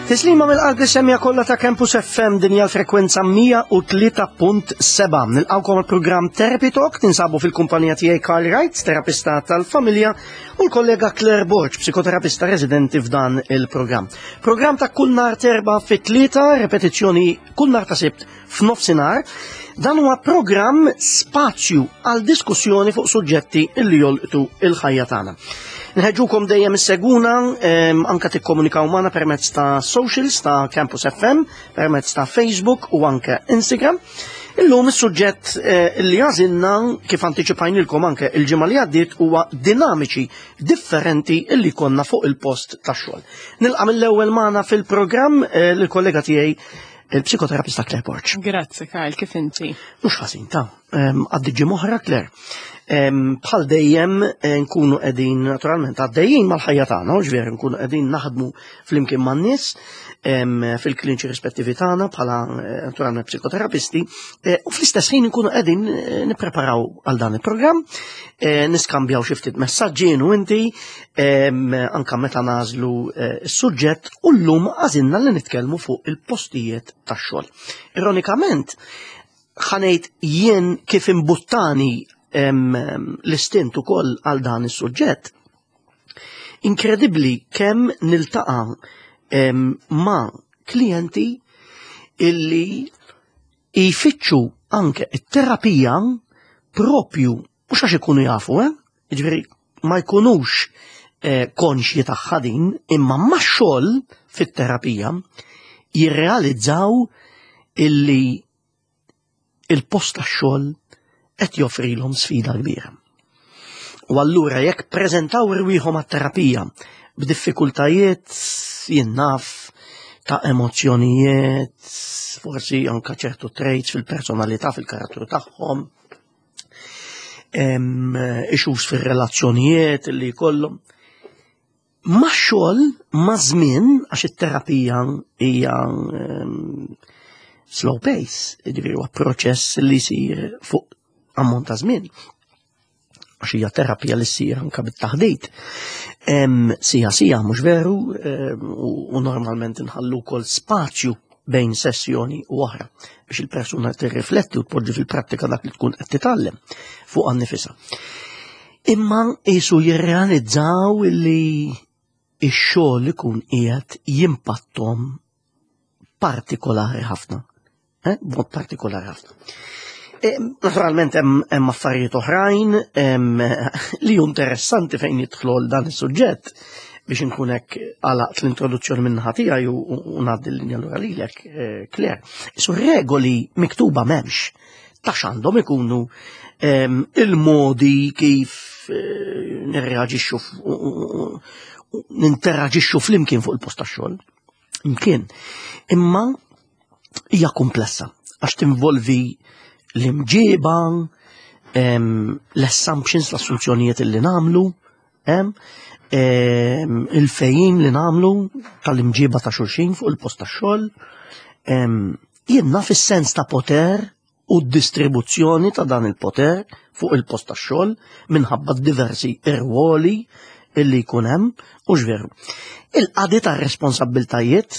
Tislima mill-qalb li semja kollha ta' Campus FM din hija l-frekwenza 103.7. Nilqgħukom il-programm Therapy Talk tinsabu fil-kumpanija tiegħi Karl Wright, terapista tal-familja, u l-kollega Claire Borg, psikoterapista residenti f'dan il-programm. Programm ta' kull nhar terba fit-tlieta, repetizzjoni kull nhar ta' sibt f'nofsinhar. Dan huwa programm spazju għal diskussjoni fuq suġġetti li jolqtu il-ħajja tagħna. Nħeġġukom dejjem isseguna anka tikkomunikaw magħna permezz ta' socials ta' Campus FM, permezz ta' Facebook u anke Instagram. Illum is-suġġett eh, li għażilna kif antiċipajnilkom anke il-ġimgħa li għaddiet huwa dinamiċi differenti li konna fuq il-post tax-xogħol. Nilqa' mill-ewwel magħna fil-programm eh, lill-kollega tiegħi il-psikoterapista Claire Borg. Grazzi Karl, kif inti? Mhux ħażin ta' għaddi ġimgħa Claire. Bħal dejjem eh, nkunu qegħdin naturalment għaddejjin mal-ħajja tagħna, u ġveri nkunu qegħdin naħdmu flimkien man-nies fil-kliniċi rispettivi tagħna bħala eh, naturalment psikoterapisti, eh, u fl-istess ħin nkunu qegħdin nippreparaw għal dan il-programm, niskambjaw xi ftit messaġġi u inti anka meta nażlu eh, s-suġġett u llum għażilna li nitkellmu fuq il-postijiet tax-xogħol. Ironikament, ħanejt jien kif imbuttani l-istint ukoll għal dan is-suġġett. Inkredibbli kemm niltaqa' ma' klijenti illi jfittxu anke it-terapija propju mhux għax ikunu jafu, eh? Jiġifieri ma jkunux eh, konxji tagħha din, imma max-xogħol fit-terapija jirrealizzaw illi il-post tax-xogħol qed joffrilhom sfida kbira. U allura jekk preżentaw irwieħhom għat-terapija b'diffikultajiet jien naf ta' emozzjonijiet, forsi anka ċertu traits fil-personalità, fil-karattru tagħhom, issues fir-relazzjonijiet li jkollhom. Ma' xogħol, ma' żmien, għax it-terapija hija slow pace, jiġifieri huwa proċess li jsir fuq ammont ta' żmien. Għax hija terapija li ssir anke bit-taħdit. Sija sija mhux veru, u normalment inħallu wkoll spazju bejn sessjoni u oħra biex il-persuna tirrifletti u tpoġġi fil-prattika dak li tkun qed titgħallem fuq nifisha. Imma qisu jirrealizzaw li x-xogħol ikun qiegħed jimpattom partikolari ħafna. Eh, b'mod partikolari ħafna. E, naturalment hemm affarijiet oħrajn li hu interessanti fejn jidħlu dan is-suġġett biex inkun hekk għalaqt l-introduzzjoni minn naħa tiegħi u ngħaddi l-linja lura lilek, eh, Claire. Isu regoli miktuba m'hemmx ta' x'għandhom ikunu il-modi kif eh, nirreaġixxu ninteraġixxu flimkien fuq il-post tax-xogħol. Imkien. Imma hija komplessa għax tinvolvi l-imġiba, l-assumptions, l-assunzjonijiet li namlu, il-fejjim li namlu tal-imġiba ta' xulxin fuq il-post ta' xogħol. Jien naf is-sens ta' poter u d-distribuzzjoni ta' dan il-poter fuq il-post tax-xogħol minħabba diversi irwoli illi jkun hemm u veru. Il-qadi ta' responsabbiltajiet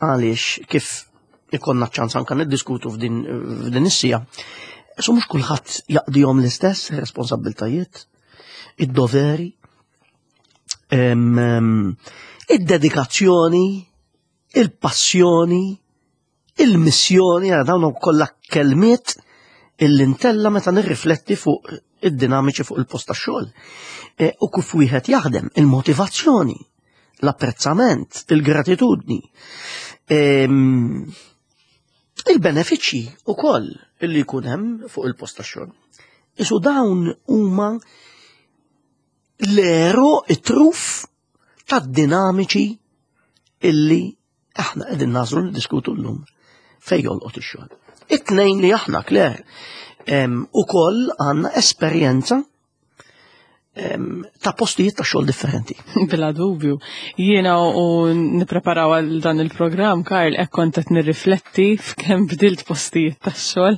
għaliex kif ikonna ċans anka niddiskutu f'din is-sija, so mhux kulħadd jaqdihom l-istess responsabbiltajiet, id-doveri, id-dedikazzjoni, il-passjoni, Il-missjoni għal dawn kollha kelmiet illi ntella meta nirrifletti fuq id-dinamiċi fuq il-post tax-xogħol. E, u kif wieħed jaħdem, il-motivazzjoni, l-apprezzament, il-gratitudni, ehm, il-benefiċċji ukoll illi jkun hemm fuq il-post tax-xogħol. Isu dawn huma l-ero it-truf tad-dinamiċi illi aħna qegħdin nażlu niddiskutu llum fejn jolqot ix-xogħol. It-tnejn li aħna Claire ukoll għandna esperjenza Ta' postijiet ta' xogħol differenti. Bla dubju. Jiena u nippreparaw għal dan il-programm, Karl, hekk kont qed nirrifletti f'kemm bdilt postijiet ta' xogħol,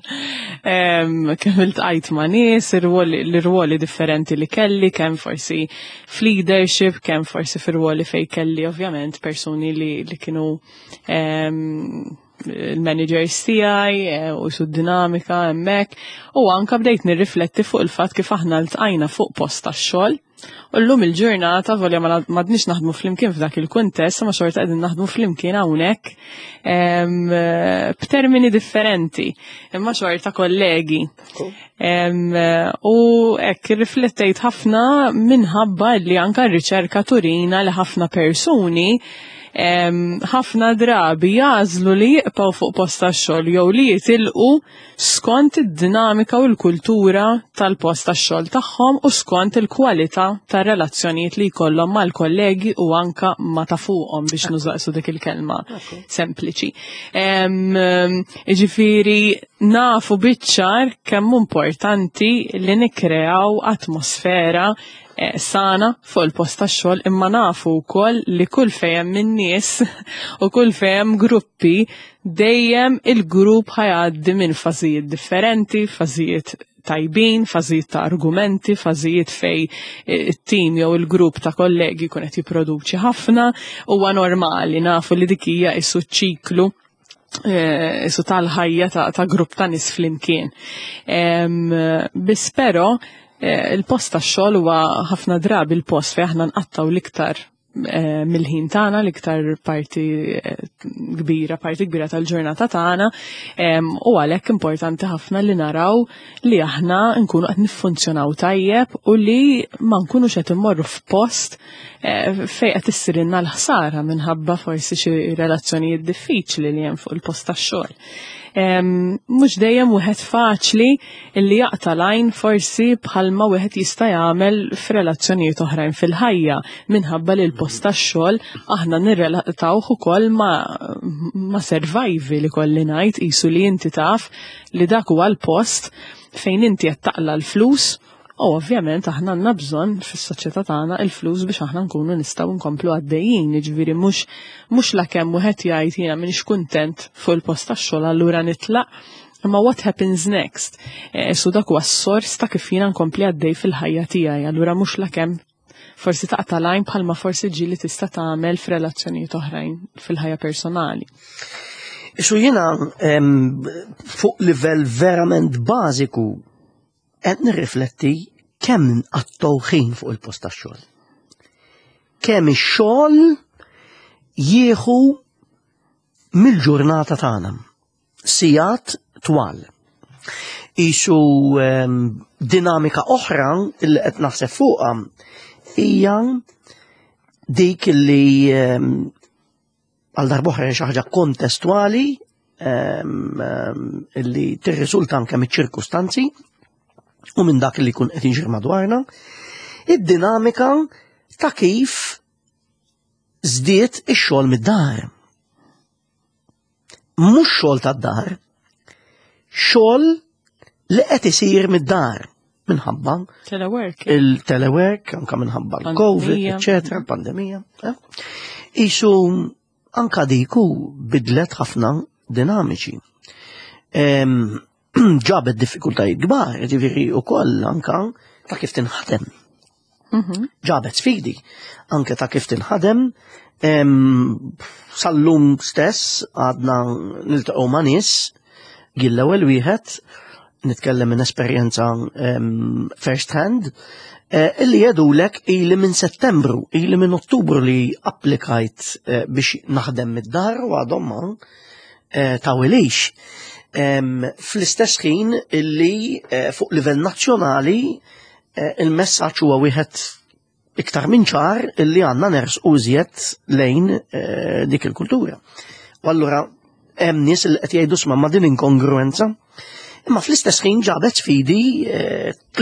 kemm iltqajt ma' nies, l-irwoli differenti li kelli, kemm forsi f'leadership, kemm forsi fir-rwoli fejn kelli ovvjament persuni li kienu il-managers tiegħi u su dinamika hemmhekk u anka bdejt nirrifletti fuq il-fatt kif aħna ltqajna fuq post tax-xogħol. U llum il-ġurnata volja ma m'għadniex naħdmu flimkien f'dak il-kuntest, ma xorta qegħdin naħdmu flimkien hawnhekk b'termini differenti, imma xorta kollegi. U hekk irriflettejt ħafna minħabba li anka r-riċerka turina li ħafna persuni ħafna drabi jagħżlu li jibqgħu fuq post tax-xogħol jew li jitilqu skont id-dinamika u l-kultura tal-post tax-xogħol tagħhom u skont il-kwalità tar-relazzjonijiet li jkollhom mal-kollegi u anka ma ta' fuqhom, biex nużaqsu dik il-kelma sempliċi. Ġifieri nafu biċ-ċar kemm importanti li nikkreaw atmosfera sana fuq il-post tax-xogħol, imma nafu wkoll li kull fejn hemm in-nies u kull fejn hemm gruppi, dejjem il-grupp ħa jgħaddi minn fażijiet differenti, fażijiet tajbin, fażijiet ta' argumenti, fażijiet fej it-tim jew il-grupp ta' kollegi kun qed jipproduċi ħafna, huwa normali, nafu li dik hija isu ċiklu isu tal-ħajja ta' grupp ta' nies flimkien. Biss però il-post tax-xogħol huwa ħafna drabi il-post fejn aħna nqattaw l-iktar mill-ħin tagħna, l-iktar parti kbira tal-ġurnata tagħna, u għalhekk importanti ħafna li naraw li aħna nkunu qed niffunzjonaw tajjeb u li ma nkunux qed immorru f'post fejn qed issirilna l-ħsara minħabba forsi xi relazzjonijiet diffiċli li hemm fuq il-post tax-xogħol. Mhux dejjem wieħed faċli illi jaqta' lajn forsi bħalma wieħed jista' jagħmel f'relazzjonijiet oħrajn fil-ħajja, minħabba li l-post tax-xogħol aħna nirrelatawh ukoll ma survival li kolli ngħid, qisu li inti taf li dak huwa l-post fejn inti qed taqla l-flus. U ovvjament aħna għandna bżonn fis-soċjetà tagħna il-flus biex aħna nkunu nistgħu nkomplu għaddejjin, jiġifieri mhux lakemm wieħed jgħid jiena m'iniex kuntent fuq il-post tax-xogħol, allura nitlaq. Imma what happens next? So dak huwa s-sors ta' kif jiena nkompli għaddej fil-ħajja tiegħi, allura mhux lakemm forsi taqta' lajn bħalma forsi ġieli tista' tagħmel f'relazzjonijiet oħrajn fil-ħajja personali. Isu jiena fuq livell verament bażiku qed nirrifletti kemm nqattgħu ħin fuq il-post tax-xogħol. Kemm ix-xogħol jieħu mill-ġurnata tagħna. Sigħat twal. Isu dinamika oħra li qed naħseb fuqha hija dik li għal darb'oħra xi ħaġa kontestwali illi tirriżulta anke miċ-ċirkustanzi u minn dak li jkun qed jiġri madwarna, id-dinamika ta' kif żdied ix-xogħol mid-dar. Mhux xogħol tad-dar, xogħol li qed isir mid-dar minħabba Telework. Il-telework, anka minħabba l-Covid, eccetera, l-pandemija. Isu anka diku bidlet ħafna dinamiċi. Ġabet diffikultajiet kbar, ġifieri ukoll anka ta' kif tinħadem. Ġabet sfidi anke ta' kif tinħadem. Sal-lum stess għadna niltaqgħu ma' nies, l-ewwel wieħed nitkellem minn esperjenza first hand, illi jgħidulek ili minn Settembru, ili minn Ottubru li applikajt biex naħdem mid-dar u għadhom ma tawilix. Fl-istess ħin illi fuq livell nazzjonali il-messaġġ huwa wieħed iktar minn ċar illi għandna nersqu iżjed lejn dik il-kultura. U allura hemm nies li qed jgħidu, "Sma' ma' din inkongruenza." Imma fl-istess ħin ġabet sfidi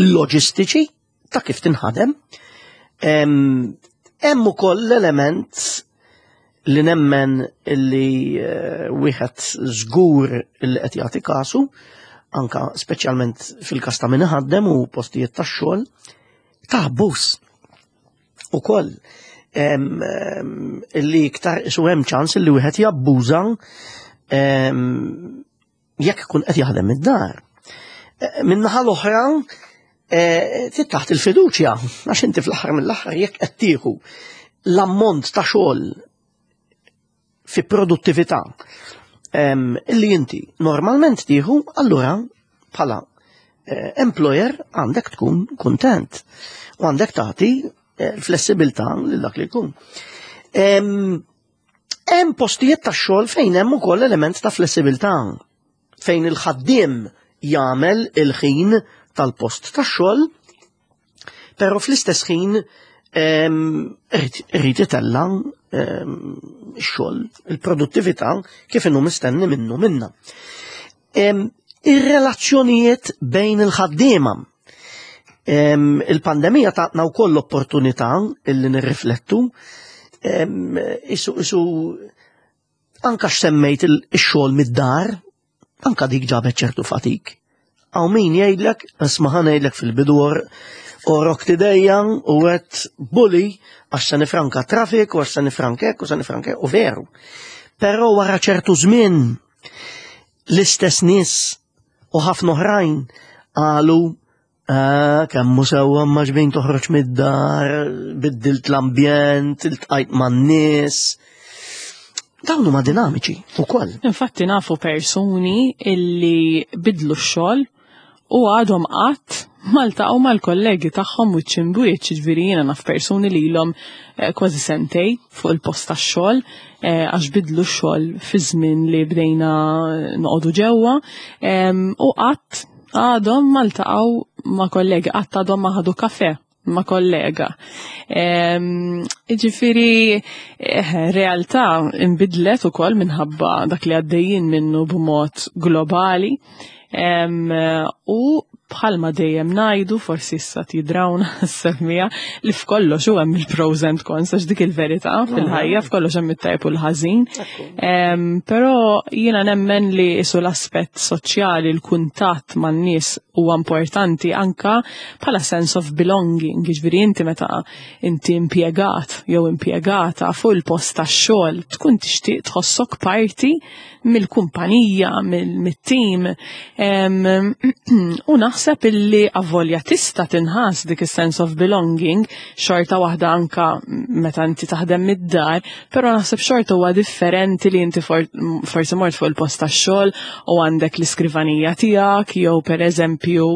loġistiċi ta' kif tinħadem. Hemm ukoll l-element li nemmen illi wieħed żgur illi qed jagħti kasu, anka speċjalment fil-każ ta' min iħaddem u postijiet tax-xogħol, ta' abbuż ukoll li iktar isu hemm ċans li wieħed jabbuża jekk ikun qed jaħdem id-dar. Eh, min-naħa l-oħra, eh, taħt il-fiduċja, għax inti fl-aħħar mill-aħħar jekk qed tieħu l-ammont ta' xogħol fi produttività illi inti normalment tieħu, allura bħala eh, employer għandek tkun kuntent u għandek tagħti l-flessibilità lil dak li jkun. Hemm postijiet ta' xogħol fejn hemm ukoll element ta' flessibilità fejn il-ħaddiem jagħmel il-ħin tal-post tax-xogħol, però fl-istess ħin irid itella' x-xogħol, il-produttività kif inhu mistenni minnu minna. Ir-relazzjonijiet bejn il-ħaddiema. Il-pandemija tatna wkoll l-opportunità illi nirriflettu isu isu anka x'semmejt ix-xogħol mid-dar, anka dik ġabet ċertu fatik. Hawn min jgħidlek, isma' ħa ngħidlek fil-bidu orok tidejja u għedt bully għax se nifranka traffic u għax se nifranka hekk u se nifranka u veru. Però wara ċertu żmien l-istess nies u ħafna oħrajn qalu ah, kemm hu sewwa ma ġbin toħroġ mid-dar, biddilt l-ambjent, iltqajt man-nies. Dawn huma dinamiċi wkoll. Infatti nafu persuni illi bidlu x-xogħol u għadhom qatt ma ltaqgħu mal-kollegi tagħhom wiċċ imbwiċċ, jiġifieri jiena naf persuni li ilhom eh, kważi sentej fuq il-post tax-xogħol eh, għax bidlu x-xogħol fi żmien li bdejna noqogħdu ġewwa u qatt għadhom ma ltaqgħu ma' kollegi, qatt għadhom ma ħadu kafe ma' kollega. Ġifiri, eh, realtà imbidlet ukoll minħabba dak li għaddejjin minnu b'mod globali. U bħalma dejjem ngħidu, forsi issa tidrawna s-semmija, li f'kollox u hemm il-pros and cons, għax dik il-verità fil-ħajja, f'kollox hemm it-tajb u l-ħażin. Però jiena nemmen li isu l-aspett soċjali, l-kuntatt man-nies huwa importanti anka bħala sense of belonging, jiġifieri inti meta inti impjegat jew impjegata fuq il-post tax-xogħol tkun tixtieq tħossok parti mill-kumpanija, mit-tim. U naħseb illi avolja tista' tinħass dik is-sense of belonging xorta waħda anka meta inti taħdem mid-dar, però naħseb xorta huwa differenti li inti forsi mort fuq il-post tax-xogħol u għandek l-iskrivanija tiegħek jew pereżempju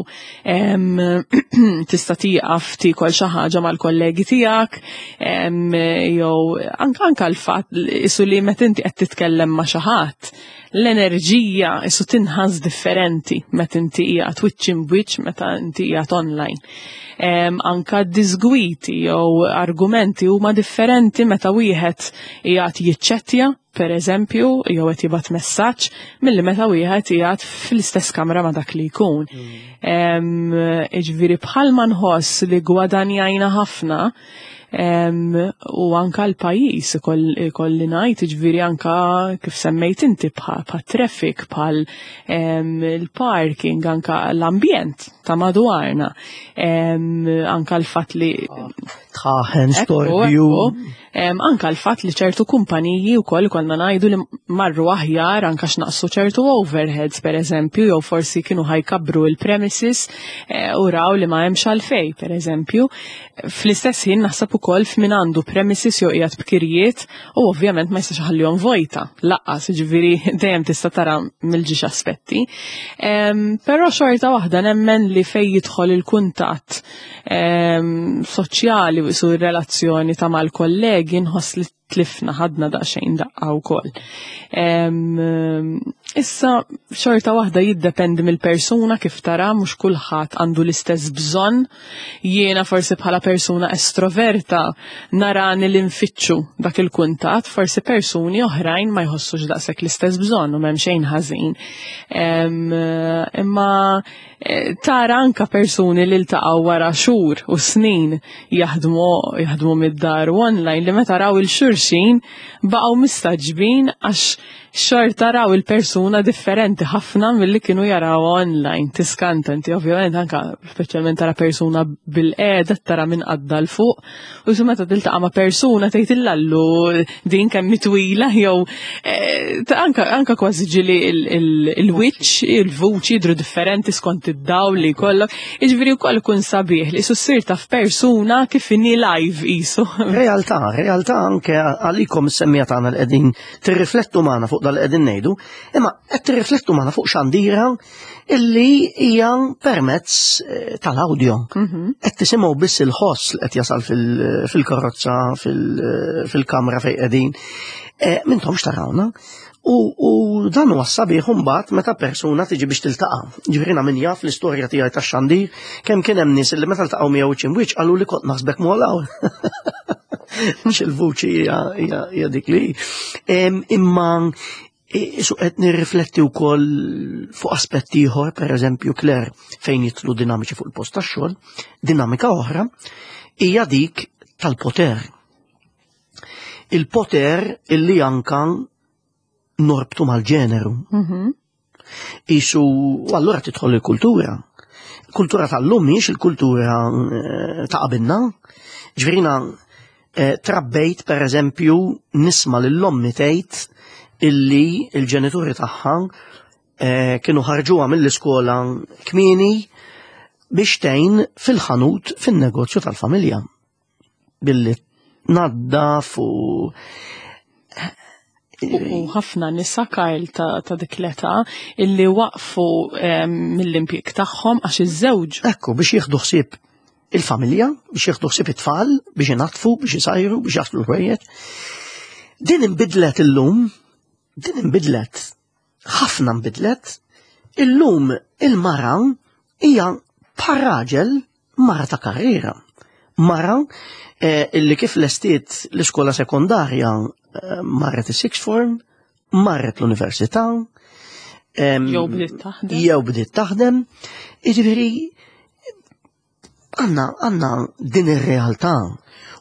tista' tieqaf tiekol xi ħaġa mal-kollegi tiegħek jew anka anka l-fatt isu li meta inti qed titkellem ma' xi ħadd l-enerġija isu tinħass differenti meta inti qiegħed wiċċ imbwiċċ meta inti qiegħed online. Anka disgwiti jew argumenti huma differenti meta wieħed qiegħed jiċċettja per eżempju, jew qed jibgħat messaġġ milli meta wieħed qiegħed fl-istess kamra ma' dak li jkun. Jiġifieri bħalma nħoss li gwadanjajna ħafna u anka l-pajjiż ikolli ngħid, jiġifieri anka kif semmejt inti bħal traffic, bħal il-parking, anka l-ambjent ta' madwarna, anka l-fatt li tħaħen, storbju. Anka l-fatt li ċertu kumpaniji wkoll konna ngħidu li marru aħjar anka x'naqsu ċertu overheads per eżempju, jew forsi kienu ħajkabru il-premises eh, u raw li ma hemmx għalfej per eżempju. Fl-istess ħin naħseb ukoll f'min għandu premises jew qiegħed b'kirjiet u ovvjament ma jistax ħallihom vojta. Laqqas, jiġifieri dejjem tista' tara mill-ġiex aspetti. Però xorta waħda nemmen li fej jidħol il-kuntatt soċjali u su relazzjoni ta' mal-kollegi nħoss li tlifna ħadna daqsxejn daqqa wkoll. Issa xorta waħda jiddependi mill-persuna kif tara mhux kulħadd għandu l-istess bżonn. Jiena forsi bħala persuna estroverta narani li nfittxu dak il-kuntatt, forsi persuni oħrajn ma jħossux daqshekk l-istess bżonn u m'hemm xejn ħażin. Imma Eh, tara anka persuni li ltaqgħu wara xhur u snin jaħdmu jaħdmu mid-dar u online li meta raw il-xulxin xulxin baqgħu mistagħġbin għax xorta raw il-persuna differenti ħafna milli kienu jaraw online. Tiskanta inti ovvjament anka speċjalment tara persuna bil-qiegħda tara minn qadda l fuq u su meta tiltaqa' ma' persuna tgħid illallu din kemm twila jew eh, anka anka kważi ġieli il-wiċċ, il-vuċi jidhru differenti skont id-dawl li jkollok. Jiġifieri wkoll ikun sabiħ li ssir taf persuna kif inhi live qisu. Realtà, realtà anke għalikom is-semmija tagħna li qegħdin tirriflettu magħna fuq dal qegħdin ngħidu, imma qed tirriflettu magħna fuq xandira illi hija permezz eh, tal-audio. Mhm. Qed tisimgħu biss il-ħoss li qed jasal fil-karozza, fil-kamra fejn qegħdin. Eh, mintomx tarawna. U dan huwa sabiħ imbagħad meta persuna tiġi biex tiltaqa'. Ġifieri min jaf l-istorja tiegħi tax-xandir, kemm kien hemm nies li meta ltaqgħu miegħu wiċċ imwiċċ qalu li kont naħsbek molaw. Mhux il-vuċi hija dik li. Imma Isu qed nirrifletti wkoll fuq aspetti ieħor, pereżempju Claire, fejn jitlu dinamiċi fuq il-post tax-xogħol, dinamika oħra hija dik tal-poter. Il-poter illi anka norbtu mal-ġeneru. Mhm. Isu, allura tidħol il-kultura. Kultura tal-lum mhix il-kultura eh, ta' qabilna. Ġvirina eh, trabbejt per eżempju nisma lill-ommi tgħid illi il-ġenituri tagħha eh, kienu ħarġuha mill-iskola kmieni biex tgħin fil-ħanut fin-negozju tal-familja. Billi tnaddaf u U ħafna nisa Karl ta', ta dik l-età illi waqfu mill-impjieg tagħhom għax iż-żewġ. Ekku biex jieħdu ħsieb il-familja, biex jieħdu ħsieb it-tfal, biex inaddfu, biex isajru, biex jaħslu l-ħwejjeġ. Din inbidlet illum, din inbidlet, ħafna nbidlet, illum il-mara hija bħal raġel mara ta' karriera. Mara eh, illi kif lestiet l-iskola sekondarja eh, marret is-sixth form, marret l-università, jew bdiet taħdem. Jew bdiet taħdem. Jiġifieri għandna għandna din ir-realtà.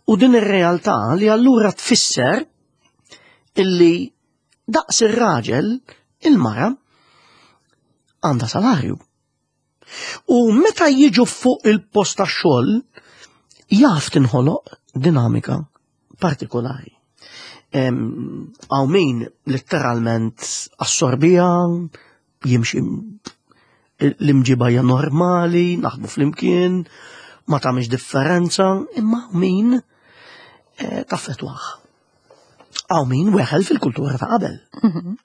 U din ir-realtà li allura tfisser illi daqs ir-raġel il-mara għandha salarju. U meta jiġu fuq il-post tax-xogħol jaf tinħoloq dinamika partikolari. Għaw min letteralment assorbija, jimxi l-imġiba hija normali, naħdmu flimkien, ma tagħmilx differenza, imma min eh, taffetwaħ. Għaw min weħel fil-kultura ta' qabel. Mhm.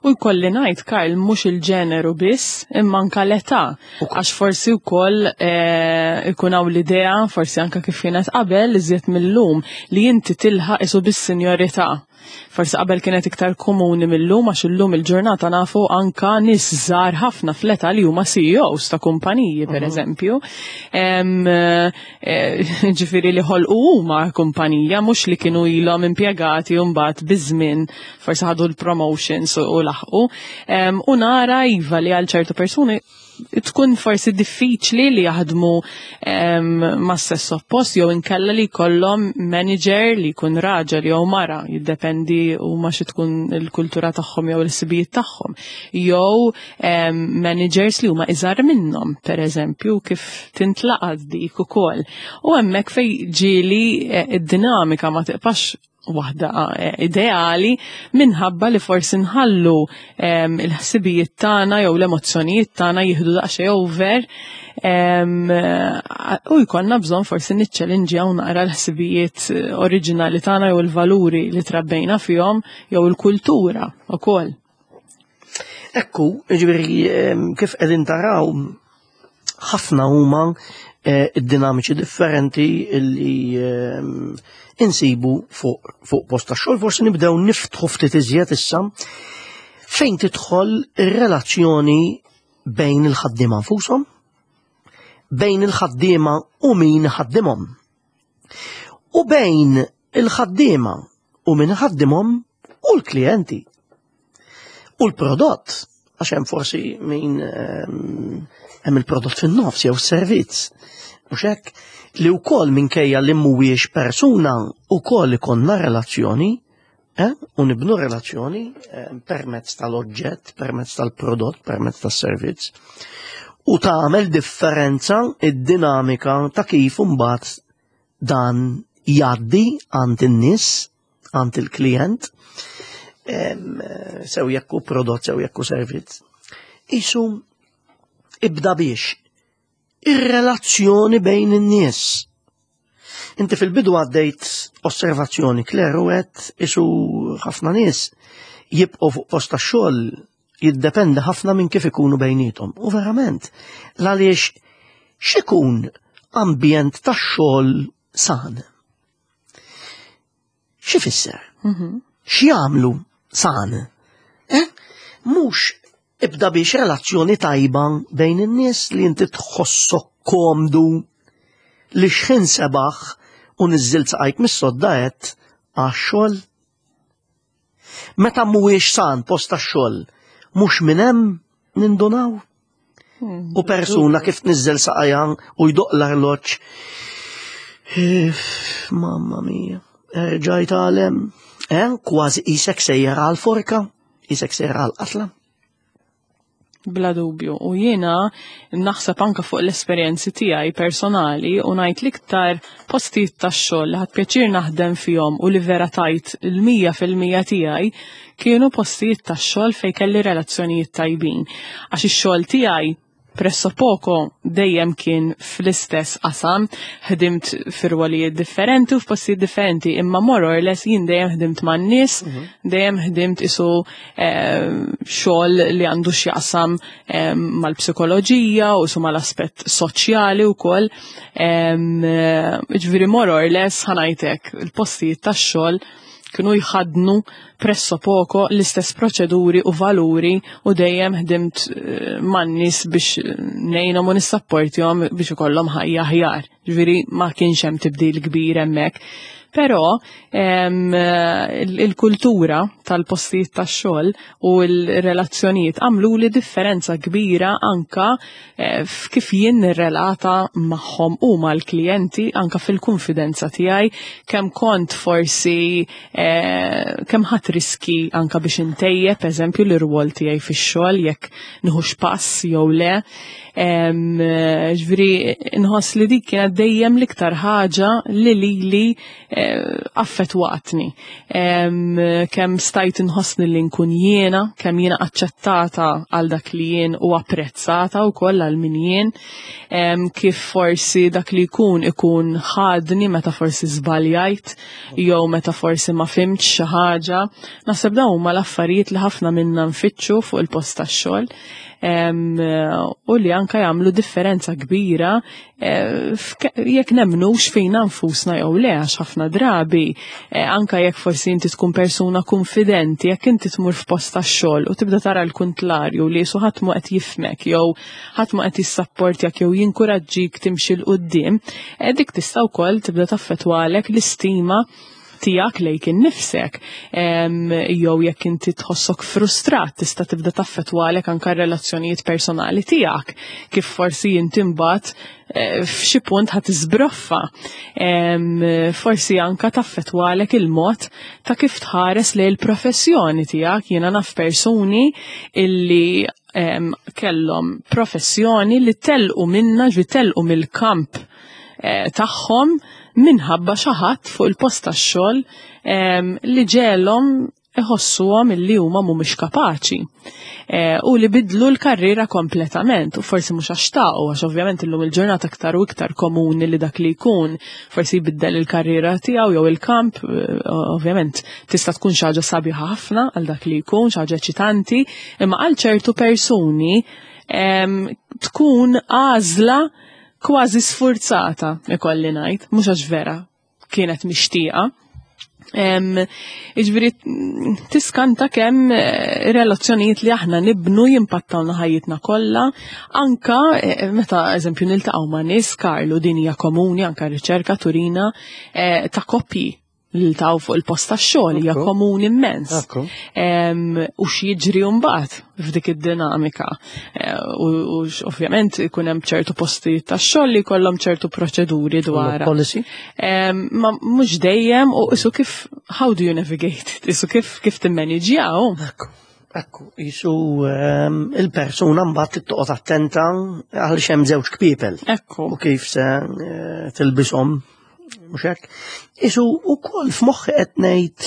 U jkolli ngħid Karl mhux il-ġeneru biss imma anka l-età. Għax forsi wkoll eh, ikun hawn l-idea, forsi anka kif kienet qabel iżjed mill-lum li inti tilħaq isu bis-sinjorità. Forsi qabel kienet iktar komuni mill-lum għax illum il-ġurnata nafu anka nies żgħar ħafna fl-età li huma CEOs ta' kumpaniji per mhm. eżempju. Eh, ġifieri li ħolqu huma kumpanija mhux li kienu ilhom impjegati u mbagħad biż-żmien forsi ħadu l-promotions u laħqu. U nara iva li għal ċertu persuni tkun forsi diffiċli li jaħdmu ma' sess oppost jew inkella li jkollhom manager li jkun raġel jew mara, jiddependi huma xi tkun il-kultura tagħhom jew il-sibijiet tagħhom. Jew managers li huma iżgħar minnhom, per eżempju, kif tintlaqat dik ukoll. U hemmhekk fejn ġieli eh, id-dinamika ma tiqpax waħda eh, ideali minħabba li forsi nħallu il-ħsibijiet tagħna jew l-emozzjonijiet tagħna jieħdu daqsxejn over u jkollna bżonn forsi niċċelinġjaw naqra l-ħsibijiet eh, oriġinali tagħna jew il-valuri li trabbejna fihom jew il-kultura wkoll. Ekku, ġifieri kif qegħdin taraw ħafna huma eh, id-dinamiċi differenti li insibu fuq fuq post ta' xogħol forsi nibdew niftħu ftit iżjed issa fejn tidħol ir-relazzjoni bejn il-ħaddiema nfushom, bejn il-ħaddiema u min ħaddimhom. U bejn il-ħaddiema u min ħaddimhom u l-klijenti. U l-prodott, għax hemm forsi min ehm, hemm il-prodott fin-nofs jew servizz. Mhux hekk? Li wkoll minkejja li mhuwiex persuna wkoll ikollna relazzjoni eh? u nibnu relazzjoni eh, permezz tal-oġġett, permezz tal-prodott, permezz tas-servizz. U tagħmel differenza id-dinamika ta' kif imbagħad dan jgħaddi għand in-nies, għand il-klient, sew jekk hu prodott, sew jekk hu servizz. Isu ibda biex ir-relazzjoni bejn in-nies. Inti fil-bidu għaddejt osservazzjoni Claire u għedt isu ħafna nies jibqgħu fuq post tax-xogħol jiddependi ħafna minn kif ikunu bejnietom. U verament, l-għaliex x'ikun ambjent tax-xogħol san? X'ifisser? Mhm. X'jagħmlu san? Eh? Mhux ibda biex relazzjoni tajba bejn in-nies li inti tħossok komdu li xħin sebaħ u niżżilt saqajk mis-sodda għedt għax-xogħol. Meta mhuwiex san post tax-xogħol, mhux minn hemm nindunaw. U persuna kif tniżżel saqajha u jdoq l-arloġġ. Mamma mia, erġajt għalem. Eh, kważi isek sejjer għal forka, isek sejjer għal qatla. Bla dubju. U jiena naħseb anka fuq l-esperjenzi tiegħi personali u ngħid l-iktar postijiet tax-xogħol li ħadt pjaċir naħdem fihom u li vera tajt il-100% tiegħi kienu postijiet tax-xogħol fejn kelli relazzjonijiet tajbin. Għax ix-xogħol tiegħi pressapoko dejjem kien fl-istess qasam, ħdimt f'irwolijiet differenti u f'postijiet differenti, imma more or less jien dejjem ħdimt man-nies, dejjem ħdimt isu xogħol li għandu x'jaqsam mal-psikoloġija u su mal-aspett soċjali wkoll. Ġifieri more or less ħa ngħidlek il-postijiet tax-xogħol kienu jħadnu pressapoko l-istess proċeduri u valuri u dejjem ħdimt man-nies biex ngħinhom u nissapportihom biex ikollhom ħajja aħjar. Ġifieri ma kienx hemm tibdil kbir hemmhekk. Però il-kultura tal-postijiet tax-xogħol u l-relazzjonijiet għamlu li differenza kbira anka f'kif jien nirrelata magħhom u mal-klijenti anka fil-konfidenza tiegħi kemm kont forsi kemm ħadt riski anka biex intejjeb eżempju l-irwol tiegħi fix-xogħol jekk nieħux pass jew le. Ġifieri nħoss li dik kienet dejjem l-iktar ħaġa li lili affettwatni. Kemm stajt nħossni li nkun jiena, kemm jiena aċċettata għal dak li jien u apprezzata wkoll għal min jien, kif forsi dak li jkun ikun ħadni meta forsi żbaljajt jew meta forsi ma fhimtx xi ħaġa. Naħseb dawn huma l-affarijiet li ħafna minna nfittxu fuq il-post tax-xogħol u li anka jagħmlu differenza kbira jekk nemnux fina nfusna jew le, għax ħafna drabi anka jekk forsi inti tkun persuna konfidenti, jekk inti tmur f'post tax-xogħol u tibda tara l-kuntlarju li su ħadd mu qed jifhmek jew ħadd ma qed jissapportjak jew jinkuraġġik timxi 'l quddiem, dik tista' wkoll tibda taffettwalek l-istima tiegħek lejk innifsek. Jew jekk inti tħossok frustrat tista' tibda taffettwalek anka r-relazzjonijiet personali tiegħek, kif forsi inti mbagħad f'xi punt ħa tiżbroffa. Forsi anka taffettwalek il-mod ta' kif tħares lejn il-professjoni tiegħek. Jiena naf persuni illi kellhom professjoni li telqu minna, ġi telqu mill-kamp tagħhom minħabba xi ħadd fuq il-post tax-xogħol li ġegħelhom iħossuhom illi huma mhumiex kapaċi. U li bidlu l-karriera kompletament, u forsi mhux għax xtaqu, għax ovvjament illum il-ġurnata aktar u iktar komuni li dak li jkun forsi jbiddel il-karriera tiegħu jew il-kamp, ovvjament tista' tkun xi ħaġa sabiħa ħafna għal dak li jkun, xi ħaġa eċitanti, imma għal ċertu persuni tkun għażla kważi sfurzata, ikolli ngħid, mhux għax vera kienet mixtieqa. Jiġifieri tiskanta kemm relazzjonijiet li aħna nibnu jimpattawna ħajjitna kollha, anka meta eżempju niltaqgħu ma' nies, Karlu, din hija komuni anka riċerka turina ta' koppji. li taw fuq il-post tax-xogħol hija komuni immens. U x'jiġri mbagħad f'dik id-dinamika. Eh, u ovvjament ikun hemm ċertu postijiet tax-xogħol li jkollhom ċertu proċeduri dwar. Policy? Ma mhux dejjem u isu kif how do you navigate it? Isu kif kif timmaniġjaw? Ekku. Ekku, jisu il-persuna mbagħad toqgħod attenta għal hemm żewġ kpiepel. Ekku. U kif se eh, tilbishom mhux hekk. Isu wkoll f'moħħi qed ngħid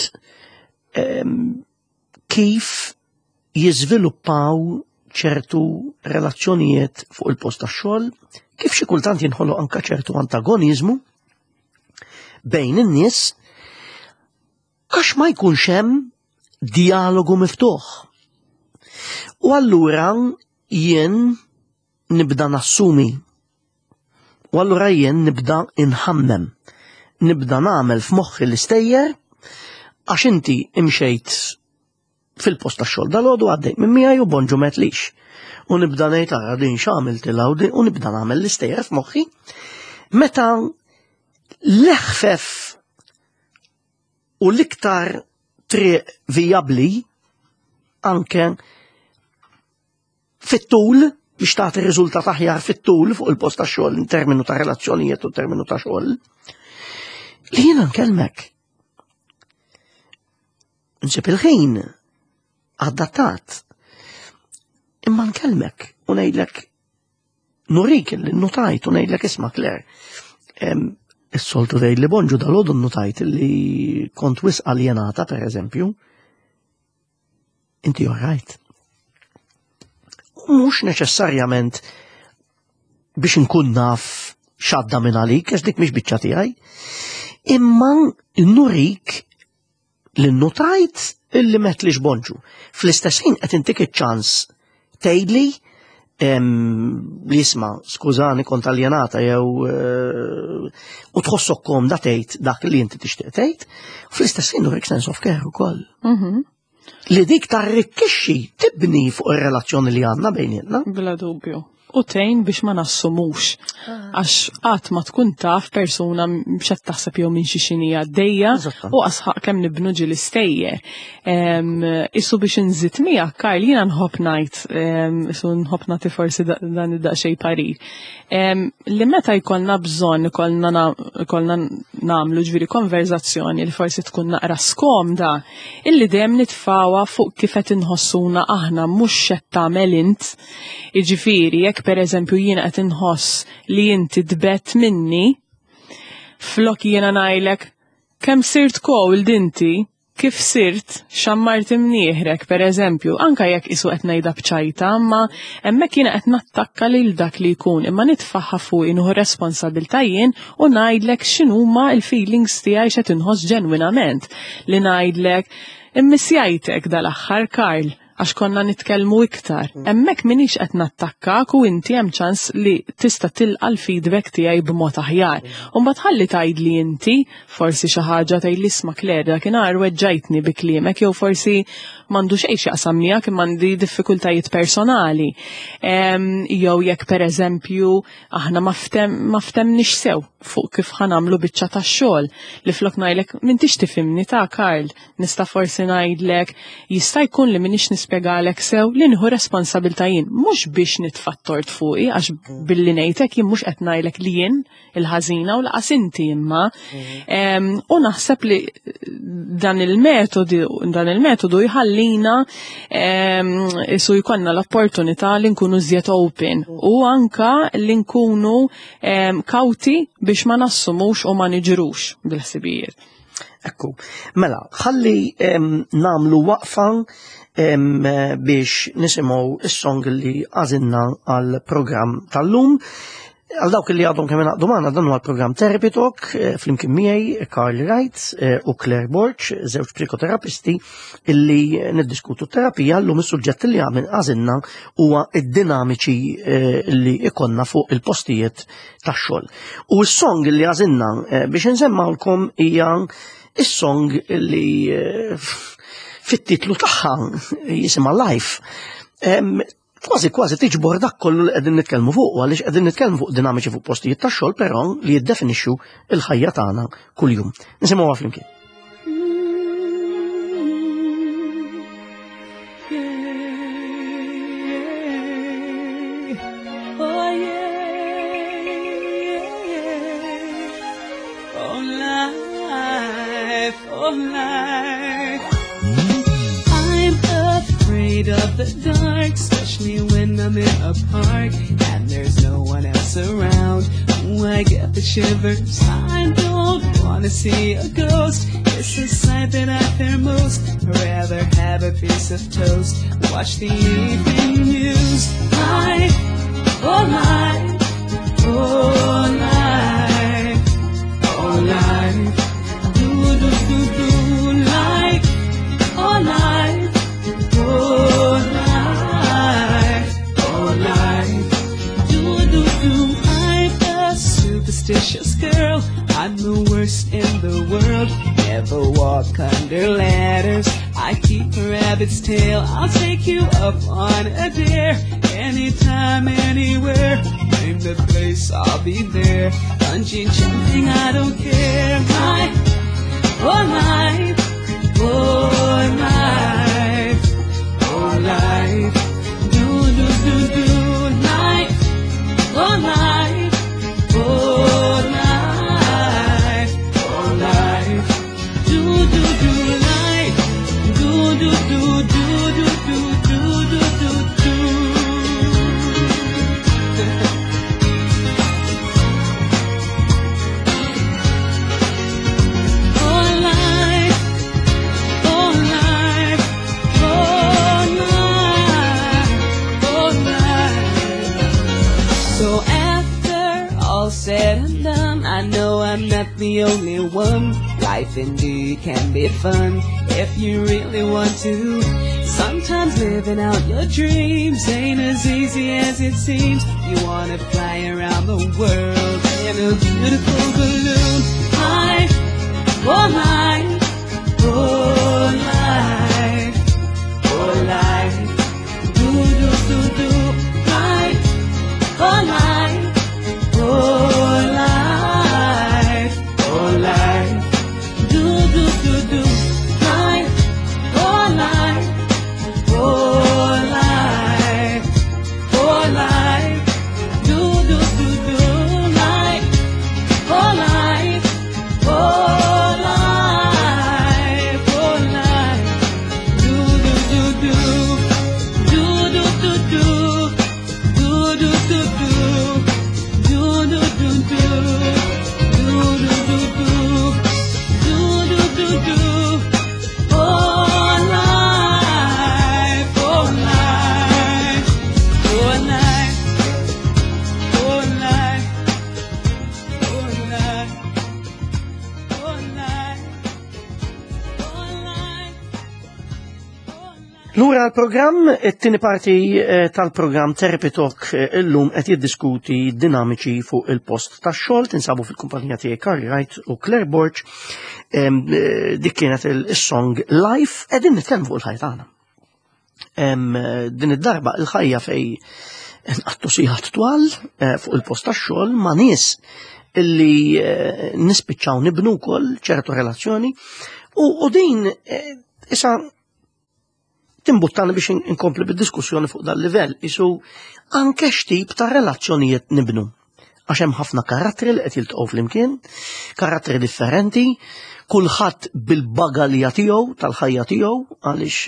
kif jiżviluppaw ċertu relazzjonijiet fuq il-post tax-xogħol, kif xi kultant jinħoloq anka ċertu antagoniżmu bejn in-nies għax ma jkunx hemm dialogu miftuħ. U allura jien nibda nassumi. U allura jien nibda inħammem. Nibda nagħmel f'moħħi l-istejjer għax inti imxejt fil-post tax-xogħol dal-għodu għaddejt minn miegħi u bonġu metlix. U nibda ngħid ara din x'għamiltilha u nibda nagħmel l-istejjer f'moħħi. Meta l-eħfef u l-iktar triq vijabbli anke fit-tul biex tagħti riżultat aħjar fit-tul fuq il-post ta' xogħol in terminu ta' relazzjonijiet u terminu ta' xogħol. Li jiena nkellmek. Nsib il-ħin adattat. Imma nkellmek u ngħidlek nurik li notajt u ngħidlek isma' Claire. Is-soltu tgħid li bonġu dal-għodu notajt li kont wisq aljenata per eżempju. Inti all right. U mhux neċessarjament biex nkun naf x'għadda minn għalik, għax dik mhix biċċa tiegħi. Imma nurik li notajt illi m'għedtlix bonġu. Fl-istess ħin qed intik iċ-ċans tgħidli li isma' skużani kont aljenata jew u tħossok komda tgħid dak li inti tixtieq tgħid, fl-istess ħin nurik sense of care ukoll. Li dik tarrikkixxi tibni fuq ir-relazzjoni li għandna bejnietna. Bla dubju. U tgħin biex ma nassumux. Għax qatt ma tkun taf persuna x'qed taħseb jew minn xi xini għaddejja u asħaq kemm nibnu ġieli stejjer. Isu biex inżid miegħek, Karl, jiena nħobb ngħid, isu nħobb nagħti forsi dan id-daqsxejn parir. Li meta jkollna bżonn ikollna nagħmlu ġifieri konverzazzjoni li forsi tkun naqra skomda, illi dejjem nitfgħuha fuq kif qed inħossuna aħna mhux x'qed tagħmel int. Jiġifieri, jekk pereżempju jiena qed inħoss li inti tbegħedt minni, flok jiena ngħidlek kemm sirt cold inti, kif sirt xammart imnieħrek, per eżempju, anka jekk isu qed ngħidha bċajta, imma hemmhekk jiena qed nattakka lil dak li jkun, imma nitfaħħa fuq nieħu responsabilità jien u ngħidlek x'inhuma l-feelings tiegħi x'qed inħoss ġenwinament. Li ngħidlek immissjajtek dal-aħħar Karl, għax konna nitkellmu iktar. Hemmhekk minix qed nattakkak u inti hemm ċans li tista' tilqa' l-feedback tiegħi b'mod aħjar. U mbagħad ħalli tgħidli inti forsi xi ħaġa tgħidli isma' Claire dakinhar weġġajtni bi kliemek jew forsi m'għandu xejn x'jaqsam miegħek imma għandi diffikultajiet personali. Jew jekk pereżempju aħna ma ftemniex sew fuq kif ħa nagħmlu biċċa tax-xogħol li flok ngħidlek m'intix tifhimni ta' Karl, nista' forsi ngħidlek jista' jkun li minix nispjegalek sew li nieħu responsabilità jien, mhux biex nitfa' tort fuqi għax billi ngħidlek jien mhux qed ngħidlek li jien il-ħażina u laqas inti imma. U naħseb li dan il-metodu jħallina isu jkollna l-opportunità li nkunu żjed open u anka li nkunu kawti biex ma nassumux u ma niġrux bil-ħsibijiet. Ekku, mela, ħalli nagħmlu waqfa biex nisimgħu is-song li għażilna għal-programm tal-lum. Għal dawk li għadhom kemm ingħaqdu magħna dan huwa l-programm Therapy Talk flimkien miegħi Karl Wright u Claire Borg, żewġ psikoterapisti illi niddiskutu terapija. Llum is-suġġett li għamil għażilna huwa id-dinamiċi li ikonna fuq il-postijiet tax-xogħol. U s-song li għażilna biex insemmawlkom hija is-song li fit-titlu tagħha jisimha Life. Kważi kważi tiġbor dak kollu li qegħdin nitkellmu fuq, għaliex qegħdin nitkellmu fuq dinamiċi fuq postijiet tax-xogħol però li jiddefinixxu l-ħajja tagħna kuljum. Nisimgħuha flimkien. Life. I'm afraid of the dark, especially when I'm in a park and there's no one else around. Ooh, I get the shivers. I don't wanna see a ghost. It's the sight that I fear most. I'd rather have a piece of toast. Watch the evening news. Life, oh life, oh life, oh life. Do do do do life, oh life, oh life, oh life. Do do do. I'm a superstitious girl. I'm the worst in the world. Never walk under ladders. I keep a rabbit's tail. I'll take you up on a dare. Anytime, anywhere. Name the place, I'll be there. Bungee jumping, I don't care. My, oh life, oh life, oh life. Do do do do life, oh life, oh life, oh life. Do do do life, do do do do do do do do do do. Oh life, oh life, oh life, oh life. So after all said and done, I know I'm not the only one. Life indeed can be fun if you really want to. Sometimes living out your dreams ain't as easy as it seems. You wanna fly around the world in a beautiful balloon. Life, oh life, oh life, oh life. Do do do do, life, oh life, oh life, oh life. Do do do do, life, oh life, oh life, oh life. Do do do do, life, oh life, oh life, oh life. Do do do do, do do do do, do do do do, do do do do, do do do do, do do do do. Oh life, oh life, oh life, oh life, oh life, oh life, oh life, oh life. Lura l-programm, it-tieni parti tal-programm Therapy Talk illum qed jiddiskuti dinamiċi fuq il-post tax-xogħol, tinsabu fil-kumpanija tiegħi Carly Wright u Claire Borg. Dik kienet il-song Life, qegħdin nitkellmu fuq il-ħajja tagħna. Din id-darba il-ħajja fej nqattu sigħat twal fuq il-post tax-xogħol ma' nies illi nispiċċaw nibnu wkoll ċertu relazzjoni u din issa timbuttani biex inkompli bid-diskussjoni fuq dal-livell, isu anke x'tip ta' relazzjonijiet nibnu. Għax hemm ħafna karattri li qed jiltaqgħu flimkien, karattri differenti, kulħadd bil-bagalja tiegħu, tal-ħajja tiegħu, għaliex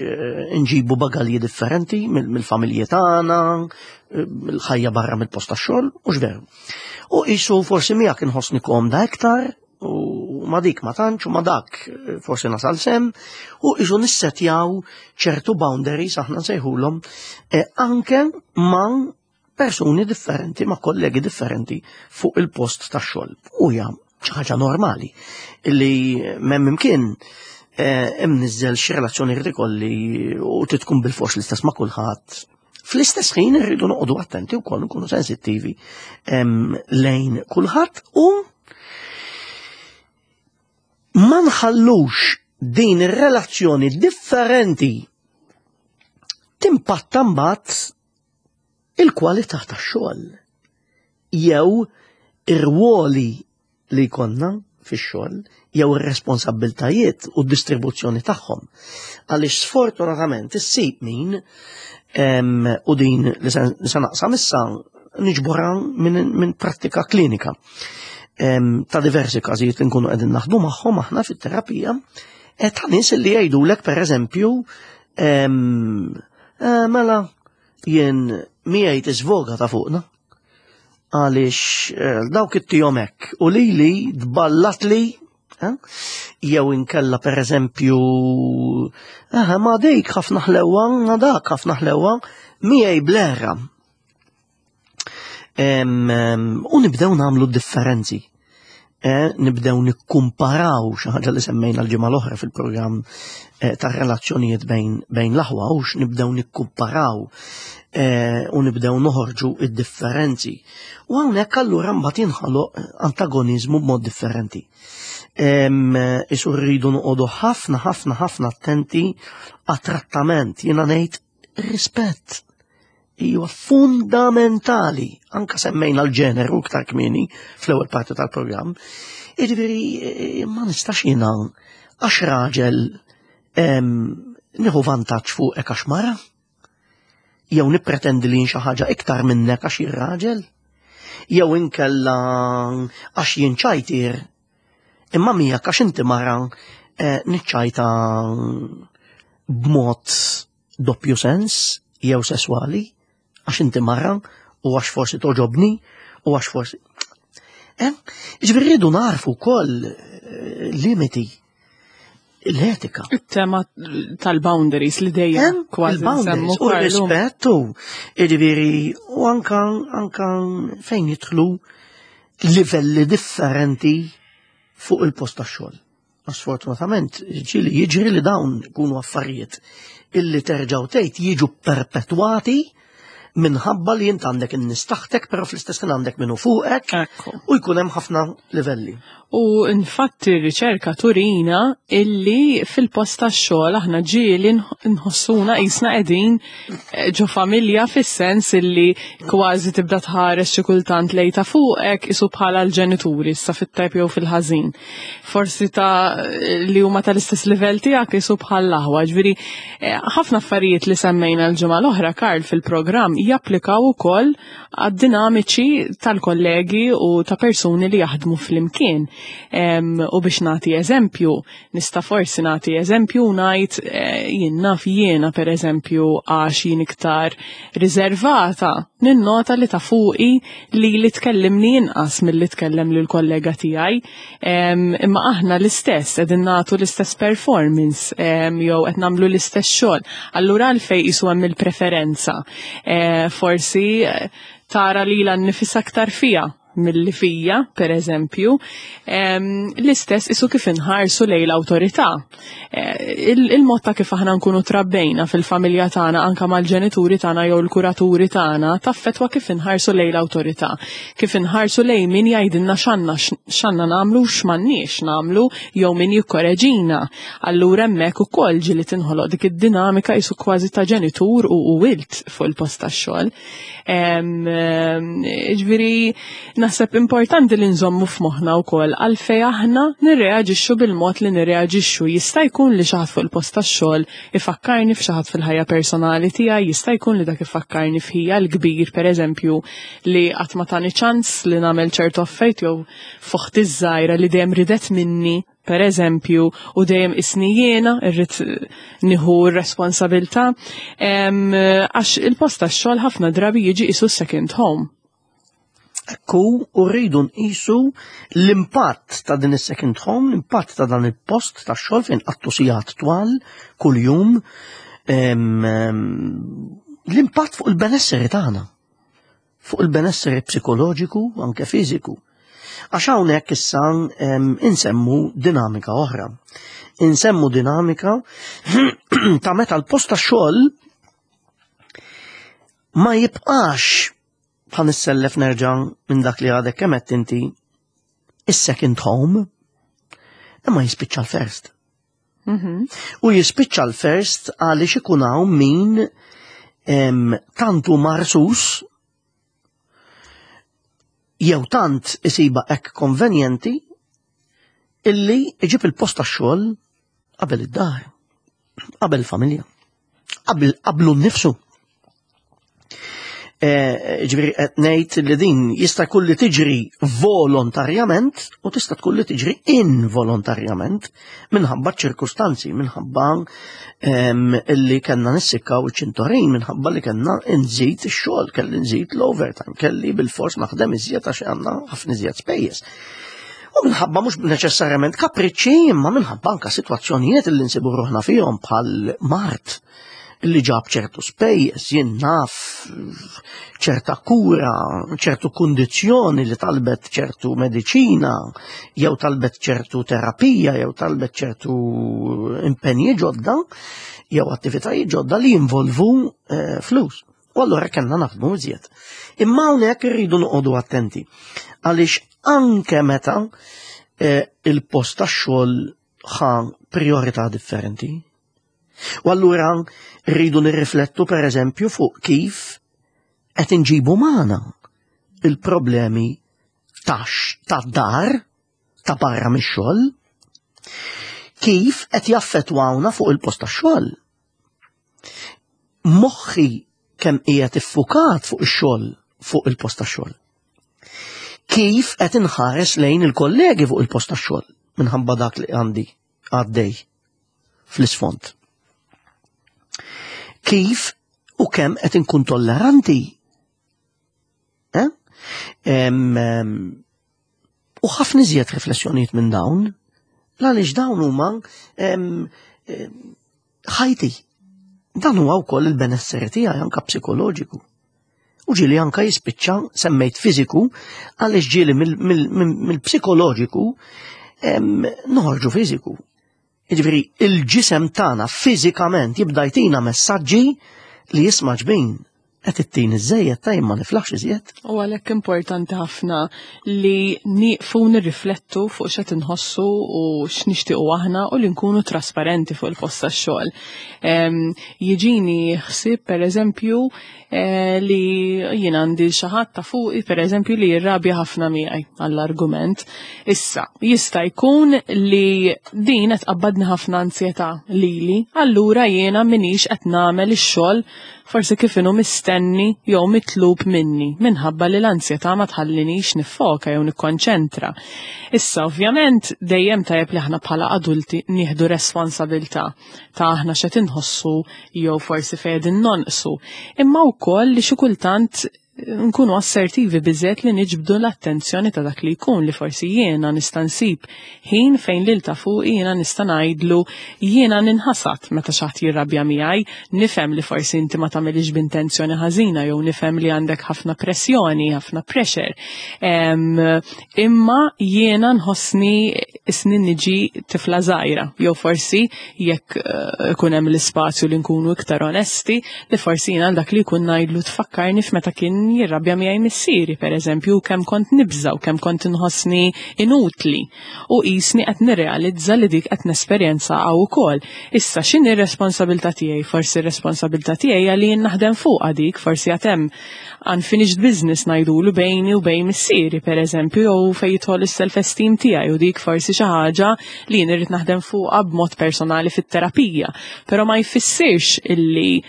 nġibu bagalji differenti mill-familji tagħna, mill-ħajja barra mill-post tax-xogħol, mhux veru. U qisu forsi miegħek inħossni komda iktar, u ma dik ma tantx, u ma dak forsi nasal sem, u qisu nissetjaw ċertu boundaries aħna nsejħulhom anke ma' persuni differenti, ma' kollegi differenti fuq il-post tax-xogħol. U hija xi ħaġa normali illi m'hemm imkien imniżżel xi relazzjoni jrid ikolli u titkun bil-fors l-istess ma' kulħadd. Fl-istess ħin irridu noqogħdu attenti wkoll nkunu sensittivi lejn kulħadd u ma nħallux din ir-relazzjoni differenti timpatta mbagħad il-kwalità tax-xogħol jew ir-rwoli li jkollna fix-xogħol jew ir-responsabbiltajiet u d-distribuzzjoni tagħhom. Għaliex sfortunatament issib min u din li se naqsam issa niġborha minn prattika klinika ta' diversi każijiet li nkunu qegħdin naħdmu magħhom aħna fit-terapija. E ta' nies li jgħidulek pereżempju eh, mela jien miegħi tiżvoga ta' fuqna għaliex eh, dawk it-tihom hekk u lili tballatli eh, jew inkella pereżempju eh, ma dik ħafna ħlewwa, ma dak ħafna ħlewwa, miegħi blera. U nibdew nagħmlu differenzi. Eh, nibdew nikkumparaw xi ħaġa li semmejna l-ġimgħa l-oħra fil-programm eh, tar-relazzjonijiet bejn, bejn l-aħwa u nibdew nikkumparaw eh, u nibdew noħorġu id-differenzi. U hawnhekk allura mbagħad jinħaloq antagoniżmu b'mod differenti. Isu rridu noqogħdu ħafna ħafna ħafna attenti għat-trattament, jiena ngħid rispett hija fundamentali, anka semmejna l-ġeneru iktar kmieni fl-ewwel parti tal-programm. Jiġifieri eh, ma nistax jiena għax raġel nieħu vantaġġ fuqek għax mara, jew nippretendi li xi ħaġa iktar minnek għax jien raġel, jew inkella għax jien ċajtir, imma miegħek għax inti mara eh, niċċajta b'mod doppju sens jew sesswali għax inti mara u għax forsi toġobni u għax forsi. Eh? Ġifieri rridu narfu wkoll eh, limiti l-etika. Il-tema tal-boundaries li dejjem eh? kważi il-boundaries u rispettu. Ġifieri u anka anka fejn jidħlu livelli differenti fuq il-post tax-xogħol. Sfortunatament, ġieli jiġri li dawn ikunu affarijiet illi terġgħu tgħid jiġu perpetwati minħabba li jint għandek in-nies taħtek, però fl-istess ħin għandek minnu fuqek u jkun hemm ħafna livelli. U infatti r-riċerka turina illi fil-post tax-xogħol aħna ġieli nħossuna qisna qegħdin eh, ġo familja fis-sens illi kważi tibda tħares xi kultant lej ta' fuqek isu bħala l-ġenituri issa fit-tajb jew fil-ħażin. Forsi ta' li huma tal-istess livell tiegħek isu bħal aħwa. Ġifieri eh, ħafna affarijiet li semmejna l-ġimgħa l-oħra Karl fil-programm japplikaw ukoll għad-dinamiċi tal-kollegi u ta' persuni li jaħdmu flimkien. U biex nagħti eżempju, nista' forsi nagħti eżempju u ngħid eh, jien naf jiena pereżempju għax jien iktar riservata, ninnota li ta' fuqi li li tkellimni inqas milli tkellem lil kollega tiegħi. Imma aħna l-istess qegħdin nagħtu l-istess performance jew qed nagħmlu l-istess xogħol. Allura għalfejn qisu hemm il-preferenza. Eh, forsi eh, tara lilha nnifisha aktar fija milli fija, per eżempju, l-istess isu kif inħarsu lejn l-awtorità. Eh, il-mod ta' kif aħna nkunu trabbejna fil-familja tagħna anka mal-ġenituri tagħna jew l-kuraturi tagħna taffetwa kif inħarsu lejn l-awtorità, kif inħarsu lejn min jgħidilna x'għandna x'għandna nagħmlu u x'm'għandniex nagħmlu jew min jikkoreġina. Allura hemmhekk ukoll ġieli tinħoloq dik id-dinamika isu kważi ta' ġenitur u wilt fuq il-post tax-xogħol. Ġifieri naħseb importanti li nżommu f'moħħna wkoll għalfej aħna nirreaġixxu bil-mod li nirreaġixxu. Jista' jkun li xi ħadd fuq il-post tax-xogħol ifakkarni f'xi ħadd fil-ħajja personali tiegħi, jista' jkun li dak ifakkarni f'ħija l-kbir pereżempju li qatt ma tani ċans li nagħmel ċertu affarijiet jew f'oħti ż-żgħira li dejjem ridet minni per eżempju, u dejjem isni jiena irrid nieħu r-responsabilità, għax il-post tax-xogħol ħafna drabi jiġi isu second home. Ekku, u rridu nqisu l-impatt ta' din is-second home, l-impatt ta' dan il-post tax-xogħol fejn qattu sigħat twal kuljum, l-impatt fuq il-benesseri tagħna. fuq il-benesseri psikoloġiku u anke fiżiku. Għax hawnhekk issa insemmu dinamika oħra. Insemmu dinamika ta' meta l-post ta' xogħol ma jibqax bħal nissellef nerġa' minn dak li għadek kemm qed inti is-second home imma jispiċċa l-first. Mhm. U jispiċċa l-first għaliex ikun hawn min tantu marsus jew tant isiba hekk konvenjenti illi iġib il-post tax-xogħol qabel id-dar, qabel il-familja, qabel qablu nnifsu. Eh, ġifieri qed ngħid li din jista' jkun li tiġri volontarjament u tista' tkun li tiġri involontarjament minħabba ċirkustanzi, minħabba ehm, li kellna nissikkaw iċ-ċintorin, minħabba li kellna nżid ix-xogħol, kelli nżid l-overtime, kelli bil-fors naħdem iżjed għax għandna ħafna iżjed spejjeż. U minħabba mhux neċessarjament kapriċċi, imma minħabba anka sitwazzjonijiet li nsibu ruħna fihom bħal mart li ġab ċertu spejjeż, jien naf ċerta kura, ċertu kundizzjoni li talbet ċertu mediċina, jew talbet ċertu terapija, jew talbet ċertu impenji ġodda, jew attivitajiet ġodda li jinvolvu eh, flus. U allura kellna naħdmu iżjed. Imma hawnhekk irridu noqogħdu attenti għaliex anke meta eh, il-post tax-xogħol ħa priorità differenti. U allura rridu nirriflettu per eżempju fuq kif qed inġibu magħna il-problemi tax tad-dar ta' barra mix-xogħol, kif qed jaffettwawna fuq il-post tax-xogħol. Moħħi kemm qiegħed iffukat fuq ix-xogħol fuq il-post tax-xogħol. Kif qed inħares lejn il-kollegi fuq il-post tax-xogħol minħabba dak li għandi għaddej fl-isfond. Kif u kemm qed inkun tolleranti? Eh? U ħafna iżjed riflessjonijiet minn dawn, għaliex dawn huma ħajti. Dan huwa wkoll il-benesseri tiegħi anke psikoloġiku. U ġieli anka jispiċċa semmejt fiżiku għaliex ġieli mill-psikoloġiku noħorġu fiżiku. Jiġifieri il-ġisem tagħna fiżikament jibda jtina messaġġi li jisma' ġbin qed ittin iżejjed ta' ma niflaħx iżjed. U għalhekk importanti ħafna li nieqfu nirriflettu fuq x'qed inħossu u x'nixtiequ aħna u li nkunu trasparenti fuq il-post tax-xogħol. Jiġini ħsieb pereżempju Eh, li jien għandi xi ħadd ta' fuqi pereżempju li jirrabja ħafna miegħi għall-argument. Issa, jista' jkun li din qed tqabbadni ħafna ansjetà lili, allura jiena minix qed nagħmel ix-xogħol forsi kif inhu mistenni jew mitlub minni minħabba li l-ansjetà ma tħallinix niffoka jew nikkonċentra. Issa ovvjament dejjem tajjeb li aħna bħala adulti nieħdu responsabilità ta' aħna x'qed inħossu jew forsi fejn qegħdin nonqsu, imma wkoll li xi kultant nkunu assertivi biżgħet li niġbdu l-attenzjoni ta' dak li jkun li forsi jiena nista' nsib ħin fejn lil ta' fuqi jiena nista' ngħidlu jiena ninħasad meta xi ħadd jirrabja miegħi, nifhem li forsi inti ma tagħmilix b'intenzjoni ħażina jew nifhem li għandek ħafna pressjoni, ħafna pressure. Imma jiena nħossni isni niġi tifla żgħira, jew forsi jekk eh, ikun hemm l-ispazju li nkunu iktar onesti, li forsi jiena dak li jkun ngħidlu tfakkarni f'meta kien jirrabja miegħi missieri, pereżempju, kemm kont nibża u kemm kont inħossni inutli u qisni qed nirrealizza li dik qed nesperjenza hawn ukoll. Issa x'inhi r-responsabilità tiegħi? Forsi r-responsabilità tiegħi hija li jien naħdem fuqha dik, forsi għad hemm unfinished business ngħidulu bejni u bejn missieri pereżempju jew fejn jidħol is-self-esteem tiegħi u dik forsi xi ħaġa li jien irrid naħdem fuqha b'mod personali fit-terapija. Però ma jfissirx illi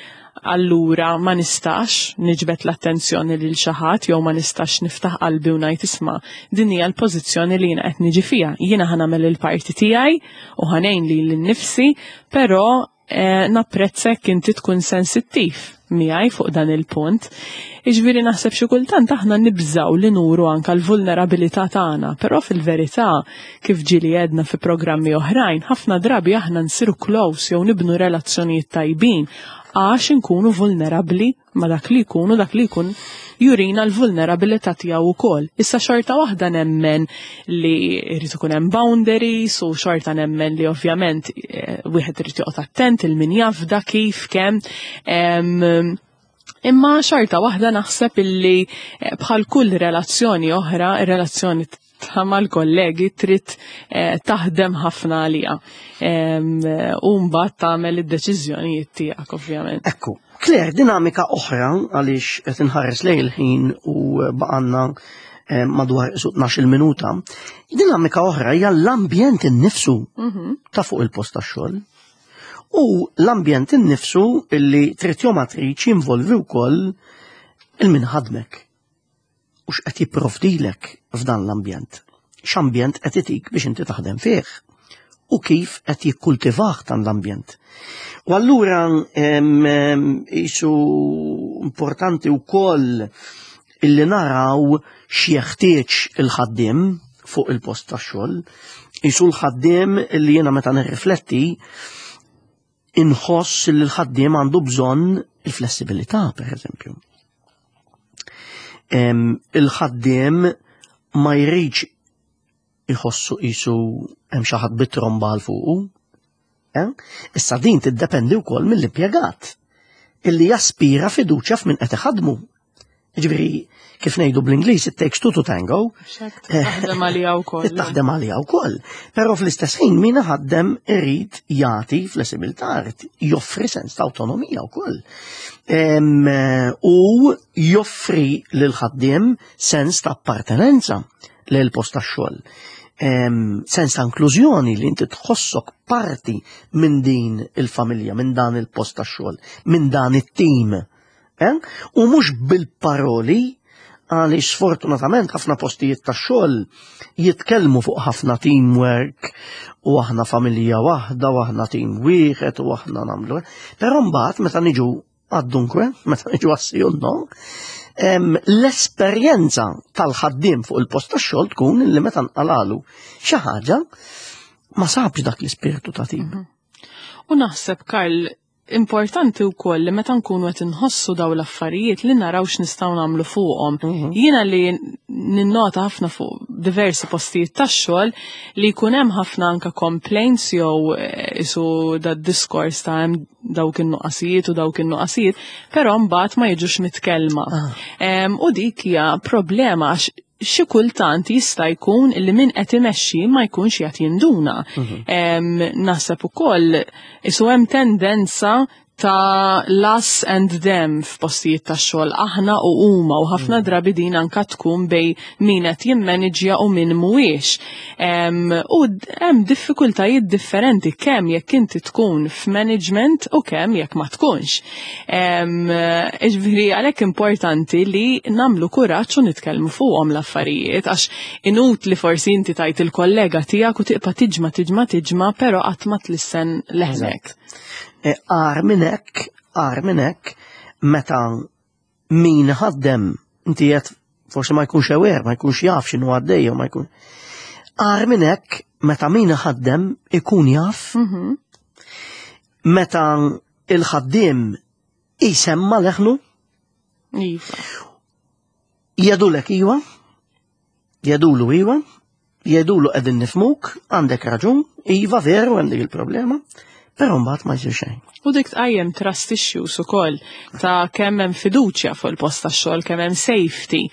allura ma nistax niġbed l-attenzjoni lil xi ħadd jew ma nistax niftaħ qalbi u ngħid isma' din hija l-pożizzjoni li jiena qed niġi fiha. Jiena ħa nagħmel il-parti tiegħi u ħa ngħin lili nnifsi, però eh, napprezzek inti tkun sensittiv miegħi fuq dan il-punt. Iġviri naħseb xi kultant aħna nibżaw li nuru anka l-vulnerabilità tagħna, però fil-verità kif ġieli għedna fi programmi oħrajn, ħafna drabi aħna nsiru close jew nibnu relazzjonijiet tajbin għax inkunu vulnerabbli ma' dak li jkun u dak li jkun jurina l-vulnerabilità tiegħu wkoll. Issa xorta waħda nemmen li jrid ikun hemm boundaries u xorta nemmen li ovvjament eh, wieħed irid joqgħod attent il min jafda kif kemm. Imma xorta waħda naħseb illi eh, bħal kull relazzjoni oħra, ir-relazzjoni ta' mal-kollegi trid eh, taħdem ħafna għaliha. U mbagħad tagħmel id-deċiżjonijiet tiegħek ovvjament. Ekku, Claire, dinamika oħra għaliex qed inħares lejn il-ħin u baqanna eh, madwar 12 minuta. Dinamika oħra hija l-ambjent innifsu mhm. ta' fuq il-post tax-xogħol. U l-ambjent innifsu illi trid jew ma tridx jinvolvi wkoll 'Il min ħadmek u x'qed jipprovdilek f'dan l-ambjent. X'ambjent qed itik biex inti taħdem fih u kif qed jikkultivah dan l-ambjent. U allura isu importanti wkoll illi naraw x'jeħtieġ il-ħaddiem fuq il-post tax-xogħol. Isu l-ħaddiem illi jiena meta nirrifletti inħoss li l-ħaddiem għandu bżonn il-flessibilità, per eżempju. Il-ħaddiem ma jridx iħossu qisu hemm xi ħadd bit-tromba għal fuqu. Eh? Issa din tiddependi wkoll mill-impjegat illi jaspira fiduċja f'min qed iħadmu. Ġifieri, kif ngħidu bl-Ingliż, it takes two to tango. Taħdem għalija wkoll. Taħdem għalija wkoll. Però fl-istess ħin min ħaddem irid jagħti flessibilità, irid joffri sens ta' awtonomija wkoll. U joffri lil ħaddiem sens ta' appartenenza lil post tax-xogħol. Sens ta' inklużjoni li inti tħossok parti minn din il-familja, minn dan il-post tax-xogħol, minn dan it-tim. Eh? U mhux bil-paroli għaliex sfortunatament ħafna postijiet ta' xogħol jitkellmu fuq ħafna teamwork u aħna familja waħda u aħna team wieħed u aħna nagħmlu. Però mbagħad meta niġu għad-dunkwe, meta niġu għas no, l-esperjenza tal-ħaddiem fuq il-post tax-xogħol tkun li meta nqalalu xi ħaġa ma sabx dak l-ispirtu ta' tim. Mhm. U naħseb Karl importanti wkoll li meta nkunu qed inħossu daw l-affarijiet li naraw x'nistgħu nagħmlu fuqhom. Mhm. Jiena li ninnota ħafna fuq diversi postijiet tax-xogħol li jkun hemm ħafna anka complaints jew eh, isu da diskors ta' hemm dawk in-nuqqasijiet u dawk in-nuqqasijiet, però mbagħad ma jiġux mitkellma. Ah. U dik hija problema għax xi kultant jista' jkun li min qed imexxi ma jkunx qed jinduna. Mhm. Naħseb ukoll isu hemm tendenza ta' l-us and them f'postijiet ta' xogħol aħna u huma u ħafna mm. drabi din anka tkun bej min qed jimmaniġja u min mhuwiex. U hemm diffikultajiet differenti kemm jekk inti tkun f'management u kemm jekk ma tkunx. Iġviri, għalhekk importanti li namlu kuraġġ u nitkellmu fuqhom l-affarijiet, għax inutli forsi inti tajt il-kollega tiegħek u tiqpa' tiġma tiġma tiġma, però qatt ma tlissen leħnek. E, agħar minn hekk, agħar minn hekk, meta min ħaddem inti qed forsi ma jkunx aware, ma jkunx jaf x'inhu għaddej ma jkun. Agħar minn hekk meta min ħaddem ikun jaf mhm. Meta il-ħaddiem jisemma leħnu? Iva. Jedulek iwa, jedulu iwa, jedulu qegħdin nifmuk, għandek raġun, iva veru għandek il-problema, però mbagħad ma jsir xejn. U dik tqajjem trust issues ukoll ta' kemm hemm fiduċja fuq il-post tax-xogħol, kemm hemm safety.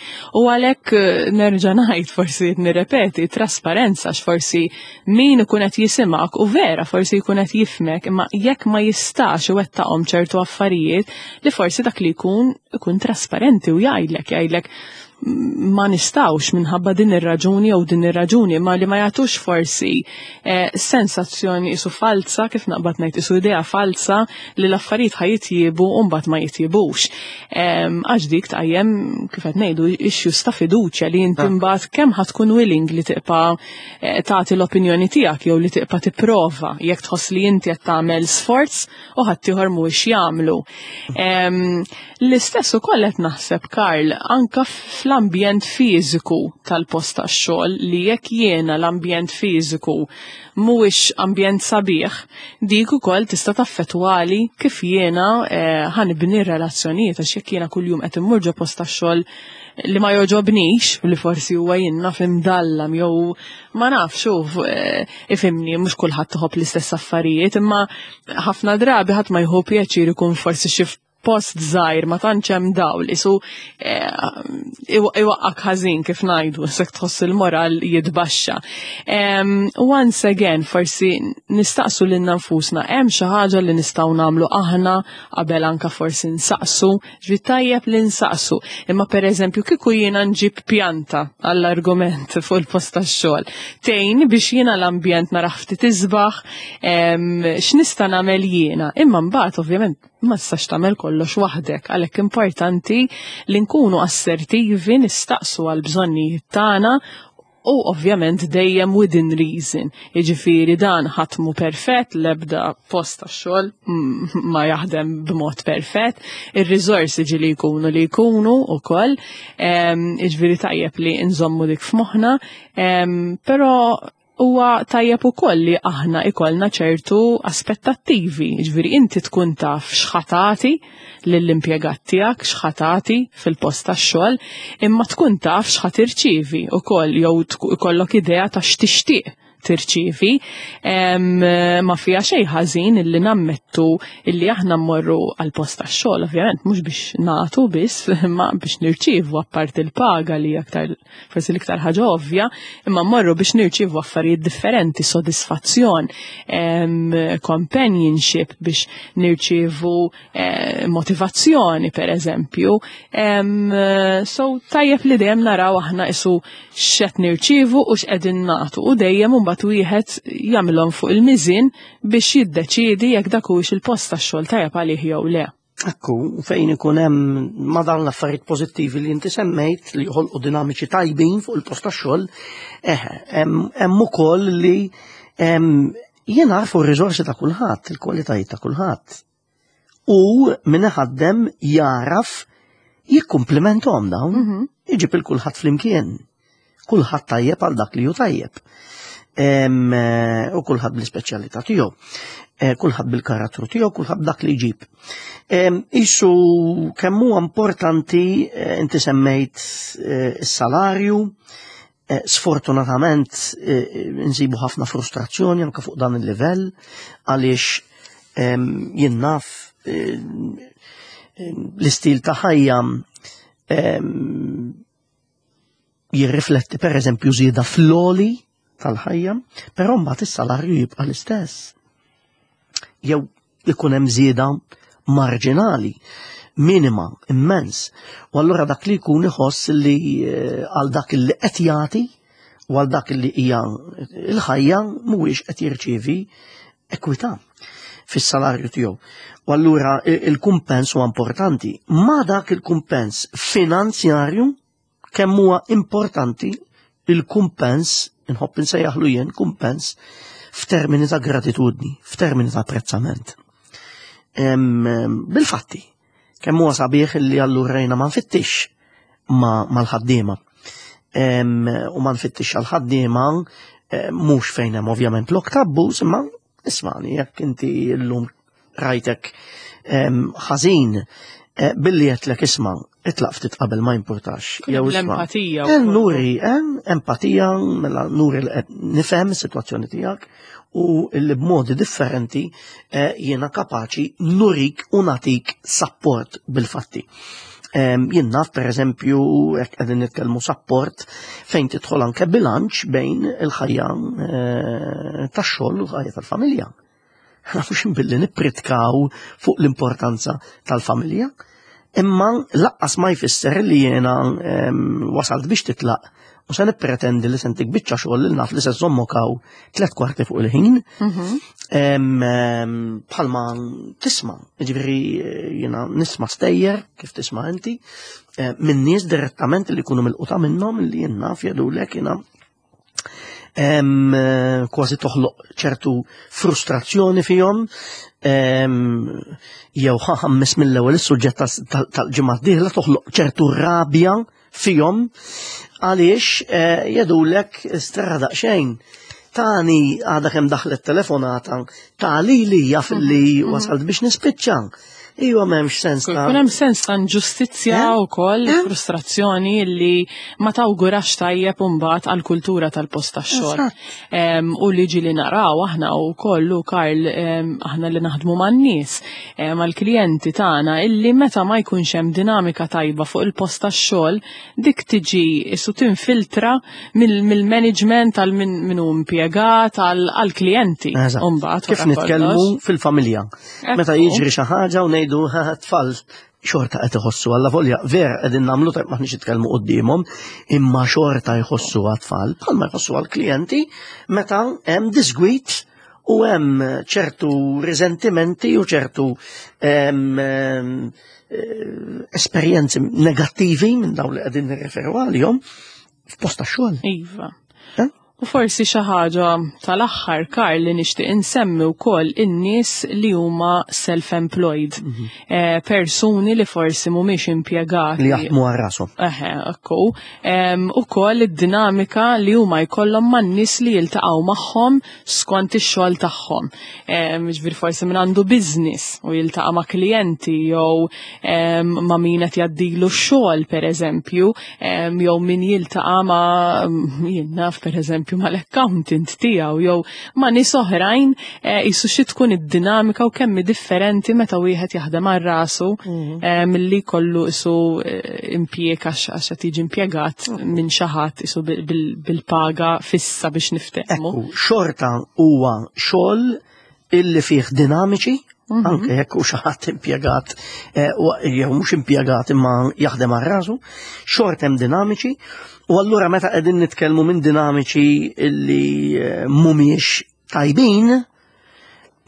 U għalhekk eh, nerġa' ngħid forsi nirrepeti trasparenza x'forsi min ikun qed jisimgħek u vera forsi jkun qed jifmek imma jekk ma jistax iwettaqhom ċertu affarijiet li forsi dak li jkun ikun trasparenti u jgħidlek jgħidlek ma nistawx minħabba din ir-raġuni jew din ir-raġuni, ma li ma jagħtux forsi eh, sensazzjoni isu falza, kif naqbad ngħid isu idea falza li l-affarijiet ħa jitjiebu u mbagħad ma jitjibux. Għax dik tqajjem kif qed ngħidu issues ta' fiduċja li inti ah. mbagħad kemm ħa tkun willing li tibqa' eh, tagħti l-opinjoni tiegħek jew li tibqa' tipprova jekk tħoss li inti qed tagħmel sforz u ħaddieħor mhuwiex jagħmlu. L-istess ukoll qed naħseb Karl anka fl-ambjent fiżiku tal-post tax-xogħol li jekk jiena l-ambjent fiżiku mhuwiex ambjent sabiħ, dik ukoll tista' taffettwali kif jiena eh, ħanibni relazzjonijiet għax jekk jiena kuljum qed immur ġo post tax-xogħol li ma joġobnix, li forsi huwa jien naf imdallam jew ma nafx xuf eh, ifimni mhux kulħadd iħobb l-istess affarijiet, imma ħafna drabi ħadd ma jħobb pjaċir ikun forsi xi post żgħir ma tantx hemm dawl isu eh, iwaqqak ħażin kif ngħidu se tħoss il-moral jitbaxxa. Once again forsi nistaqsu lilna nfusna hemm xi ħaġa li nistgħu nagħmlu aħna qabel anka forsi nsaqsu, ġvi tajjeb li nsaqsu. Imma pereżempju kieku jiena nġib pjanta għall-argument fuq il-post tax-xogħol. Tgħin biex jiena l-ambjent naraħ ftit isbaħ, x'nista' nagħmel jiena. Imma mbagħad ovvjament Ma tistax tagħmel kollox waħdek, għalhekk importanti li nkunu assertivi, nistaqsu għal bżonnijiet tagħna u ovvjament dejjem within reason. Jiġifieri dan ħadd mhu perfett, l-ebda post tax-xogħol ma jaħdem b'mod perfett, ir-riżorsi ġieli jkunu li jkunu wkoll, jiġifieri tajjeb li nżommu dik f'moħħna, però huwa tajjeb ukoll li aħna ikollna ċertu aspettattivi, jiġifieri inti tkun taf x'ħatati lill-impjegat tiegħek, x'ħatati fil-post tax-xogħol, imma tkun taf x'ħa tirċievi wkoll jew ikollok idea ta' x'tixtieq tirċievi. Ma fiha xejn ħażin illi nammettu illi aħna mmorru għal post tax-xogħol, ovvjament mhux biex nagħtu biss, imma biex nirċievu apparti l-paga li aktar forsi l-iktar ħaġa ovvja, imma mmorru biex nirċievu affarijiet differenti, sodisfazzjon, companionship biex nirċievu eh, motivazzjoni per eżempju. So tajjeb li dejjem naraw aħna isu x'qed nirċievu u x'qegħdin nagħtu u dejjem imbagħad wieħed jagħmilhom fuq il-miżien biex jiddeċiedi jekk dak huwiex il-post tax-xogħol tajjeb għalih jew le. Ekku, fejn ikun hemm ma dawn l-affarijiet pożittivi li inti semmejt li joħolqu dinamiċi tajbin fuq il-post tax-xogħol, eh, hemm ukoll li jien għarfu r-riżorsi ta' kulħadd, il-kwalitajiet ta' kulħadd. U min iħaddem jaraf jikkumplimenthom dawn, mhm. iġib il-kulħadd flimkien. Kulħadd tajjeb għal dak li hu tajjeb. Eh, u kulħadd bl-ispeċjalità tiegħu. Eh, kulħadd bil-karattru tiegħu, kulħadd dak li jġib. Isu kemm huwa importanti eh, inti semmejt is-salarju, sfortunatament nsibu ħafna frustrazzjoni anke fuq dan il-livell għaliex jien naf l-istil ta' ħajja jirrifletti per eżempju żieda fl-oli tal-ħajja, però mbagħad is-salarju jibqa' l-istess. Jew ikun hemm żieda marġinali, minima, immens. U allura dak li jkun iħoss li eh, għal dak li qed jagħti u għal dak li hija l-ħajja mhuwiex qed jirċievi ekwità fis-salarju tiegħu. U allura il-kumpens huwa importanti. Ma dak il-kumpens finanzjarju kemm huwa importanti il-kumpens, inħobb insejjaħlu jien kumpens f'termini ta' gratitudni, f'termini ta' apprezzament. Bil-fatti, kemm huwa sabiħ li allura jiena ma nfittix mal-ħaddiema. U ma nfittix għal-ħaddiema eh, mhux fejn hemm ovvjament l-oktabbus, imma ismani jekk inti llum rajtek ħażin eh, billi qedlek isma' itlaq ftit qabel ma jimpurtax. Jew l-empatija. Eh, nuri, empatija, mela nuri li qed nifhem is-sitwazzjoni tiegħek u li b'modi differenti eh, jiena kapaċi nurik u natik support bil-fatti. Jien naf per eżempju, jekk qegħdin nitkellmu support fejn tidħol anke bilanċ bejn il-ħajja eh, tax-xogħol u l-ħajja tal-familja. Mhux billi nippritkaw fuq l-importanza tal-familja, imma laqqas ma jfisser li jiena wasalt biex titlaq u se nippretendi li sentik biċċa xogħol li naf li se żommok hawn tliet kwarti fuq il-ħin. Mhm. Bħalma tisma', ġifieri jiena nisma' stejjer kif tisma' inti, eh, minn nies direttament li jkunu milquta minnhom li jien naf jgħidulek jiena Eh, kważi toħloq ċertu frustrazzjoni fihom jew ħammes mill-ewwel is-suġġett tal-ġimgħa d-dieħla toħloq ċertu rabja fihom għaliex eh, jedulek strada daqsxejn tani għadha kemm daħlet telefonata tali li jaf li mhm. wasalt biex nispiċċa. Iwa m'hemmx sens ta' Kun hemm sens ta' inġustizzja eh? wkoll eh? frustrazzjoni li ma tawgurax tajjeb imbagħad għall-kultura tal-post tax-xogħol. U li ġieli naraw aħna wkoll u Karl aħna li naħdmu man-nies, mal-klijenti tagħna illi meta ma jkunx hemm dinamika tajba fuq il-post tax-xogħol dik tiġi isu tinfiltra mill-management għal min hu impjegat għall-klijenti. Kif nitkellmu fil-familja. Meta jiġri xi ħaġa u ngħidu tfal xorta qed iħossu alla volja vera qegħdin nagħmlu tajb maħniex nitkellmu quddiemhom, imma xorta jħossu għat-tfal bħalma jħossu għall-klijenti meta hemm disgwit. U hemm ċertu risentimenti u ċertu esperjenzi negattivi minn dawn li qegħdin nirreferu għalihom f'post tax-xogħol. Iva. Eh? U forsi xi ħaġa tal-aħħar, Karl, li nixtieq insemmi wkoll in-nies li huma self-employed. Persuni li forsi mhumiex impjegati. Li jaħdmu għal rashom. Eħe, ekku. Ukoll id-dinamika li huma jkollhom man-nies li jiltaqgħu magħhom skont ix-xogħol tagħhom. Ġifieri forsi min għandu business u jiltaqa' ma' klijenti jew ma' min qed jgħaddilu x-xogħol pereżempju, jew min jiltaqa' ma' jien naf pereżempju mal-accountant tiegħu jew ma' nies oħrajn, jisu xi tkun id-dinamika u kemm hi differenti meta wieħed jaħdem għal rasu milli kollu isu impjieg għax qed jiġi impjegat minn xi ħadd isu bil-paga fissa biex niftehmu. Ekku, xorta huwa xogħol illi fih dinamiċi, anke jekk hu xi ħadd impjegat, jew mhux impjegat imma jaħdem għal rasu, xorta hemm dinamiċi, u allura meta qegħdin nitkellmu minn dinamiċi illi mhumiex tajbin,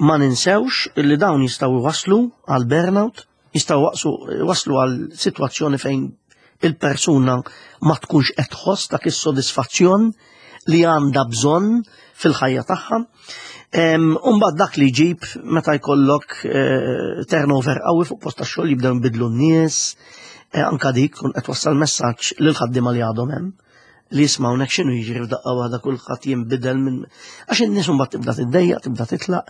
ma ninsewx illi dawn jistgħu jwasslu għal burnout, jistgħu waslu għal sitwazzjoni fejn il-persuna ma tkunx qed tħoss dak is-sodisfazzjon li għandha bżonn fil-ħajja tagħha. Umbagħad dak li jġib meta jkollok turnover qawwi fuq post tax-xogħol, jibdew jinbidlu n-nies, anka dik tkun qed wassal messaġġ lil ħaddiema li għadhom hemm li jismgħu hawnhekk x'inhu jiġri f'daqqa waħda kulħadd jinbidel minn għax in-nies imbagħad tibda tiddejjaq, tibda titlaq,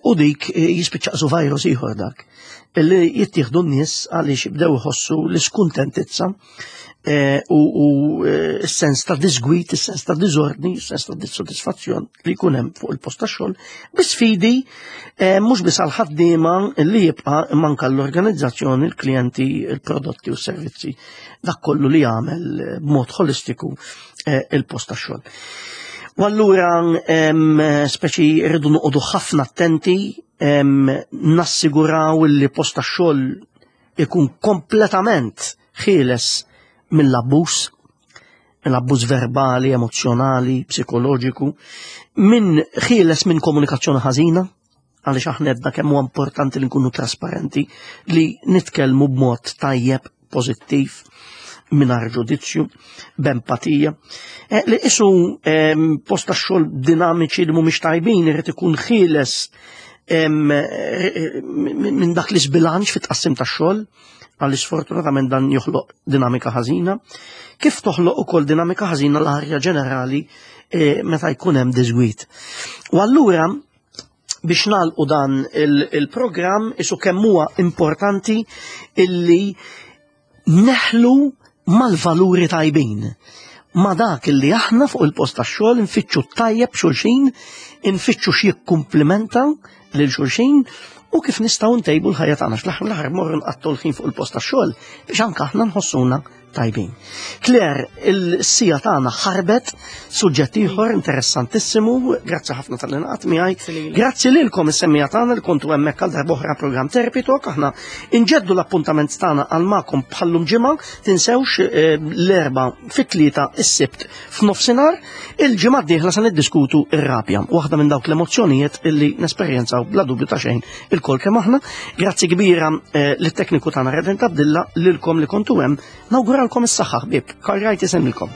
u dik jispiċċa su virus ieħor dak li jittieħdu n-nies għaliex jibdew iħossu l-iskuntentizza u s-sens ta' disgwit, is-sens ta' diżordni, is-sens ta' dissodisfazzjon li jkun hemm fuq il-post tax-xogħol, bi sfidi mhux biss għall-ħaddiema li jibqa' imma anke l-organizzazzjoni, il-klijenti, il-prodotti u s-servizzi, dak kollu li jagħmel b'mod holistiku il-post tax-xogħol. U allura speċi rridu noqogħdu ħafna attenti, nassiguraw li post tax-xogħol ikun kompletament ħieles mill-abbuż, mill-abbuż verbali, emozjonali, psikoloġiku, minn ħieles minn komunikazzjoni ħażina, għaliex aħna għedna kemm huwa importanti li nkunu trasparenti, li nitkellmu b'mod tajjeb, pożittiv, mingħajr ġudizzju, b'empatija. Li isu post tax-xogħol dinamiċi li mhumiex tajbin irid ikun ħieles minn dak l-isbilanċ fit-tqassim tax-xogħol, għaliex sfortunatament dan joħloq dinamika ħażina, kif toħloq ukoll dinamika ħażina l-arja ġenerali meta jkun hemm diżgwit. U allura biex nagħlqu dan il-programm isu kemm huwa importanti illi neħlu mal-valuri tajbin, ma dak illi aħna fuq il-post tax-xogħol nfittxu tajjeb xulxin, nfittxu x'jikkumplimenta lil xulxin u kif nistgħu ntejbu l-ħajja tagħna. Fl-aħħar mill-aħħar morru nqattu l-ħin fuq il-post tax-xogħol biex anke aħna nħossuna tajbin. Claire, il-sija tagħna ħarbet, suġġett ieħor interessantissimu, grazzi ħafna tal-li naqat miegħi. Grazzi lilek. Grazzi lilkom is-semmija tagħna li kontu hemmhekk għal darb'oħra programm Therapy Talk. Aħna inġeddu l-appuntament tagħna għal magħkom bħallum ġimgħa, tinsewx l-Erbgħa fit-3, is-Sibt f'nofsinhar. Il-ġimgħa d-dieħla se niddiskutu r-rabja, waħda minn dawk l-emozzjonijiet illi nesperjenzaw bla dubju ta' xejn il-kol kemm aħna. Grazzi kbira lit-tekniku tagħna Redent Abdilla, lilkom li kontu hemm. Nawguralkom is-saħħa ħbieb. Karl Wright isemmilkom.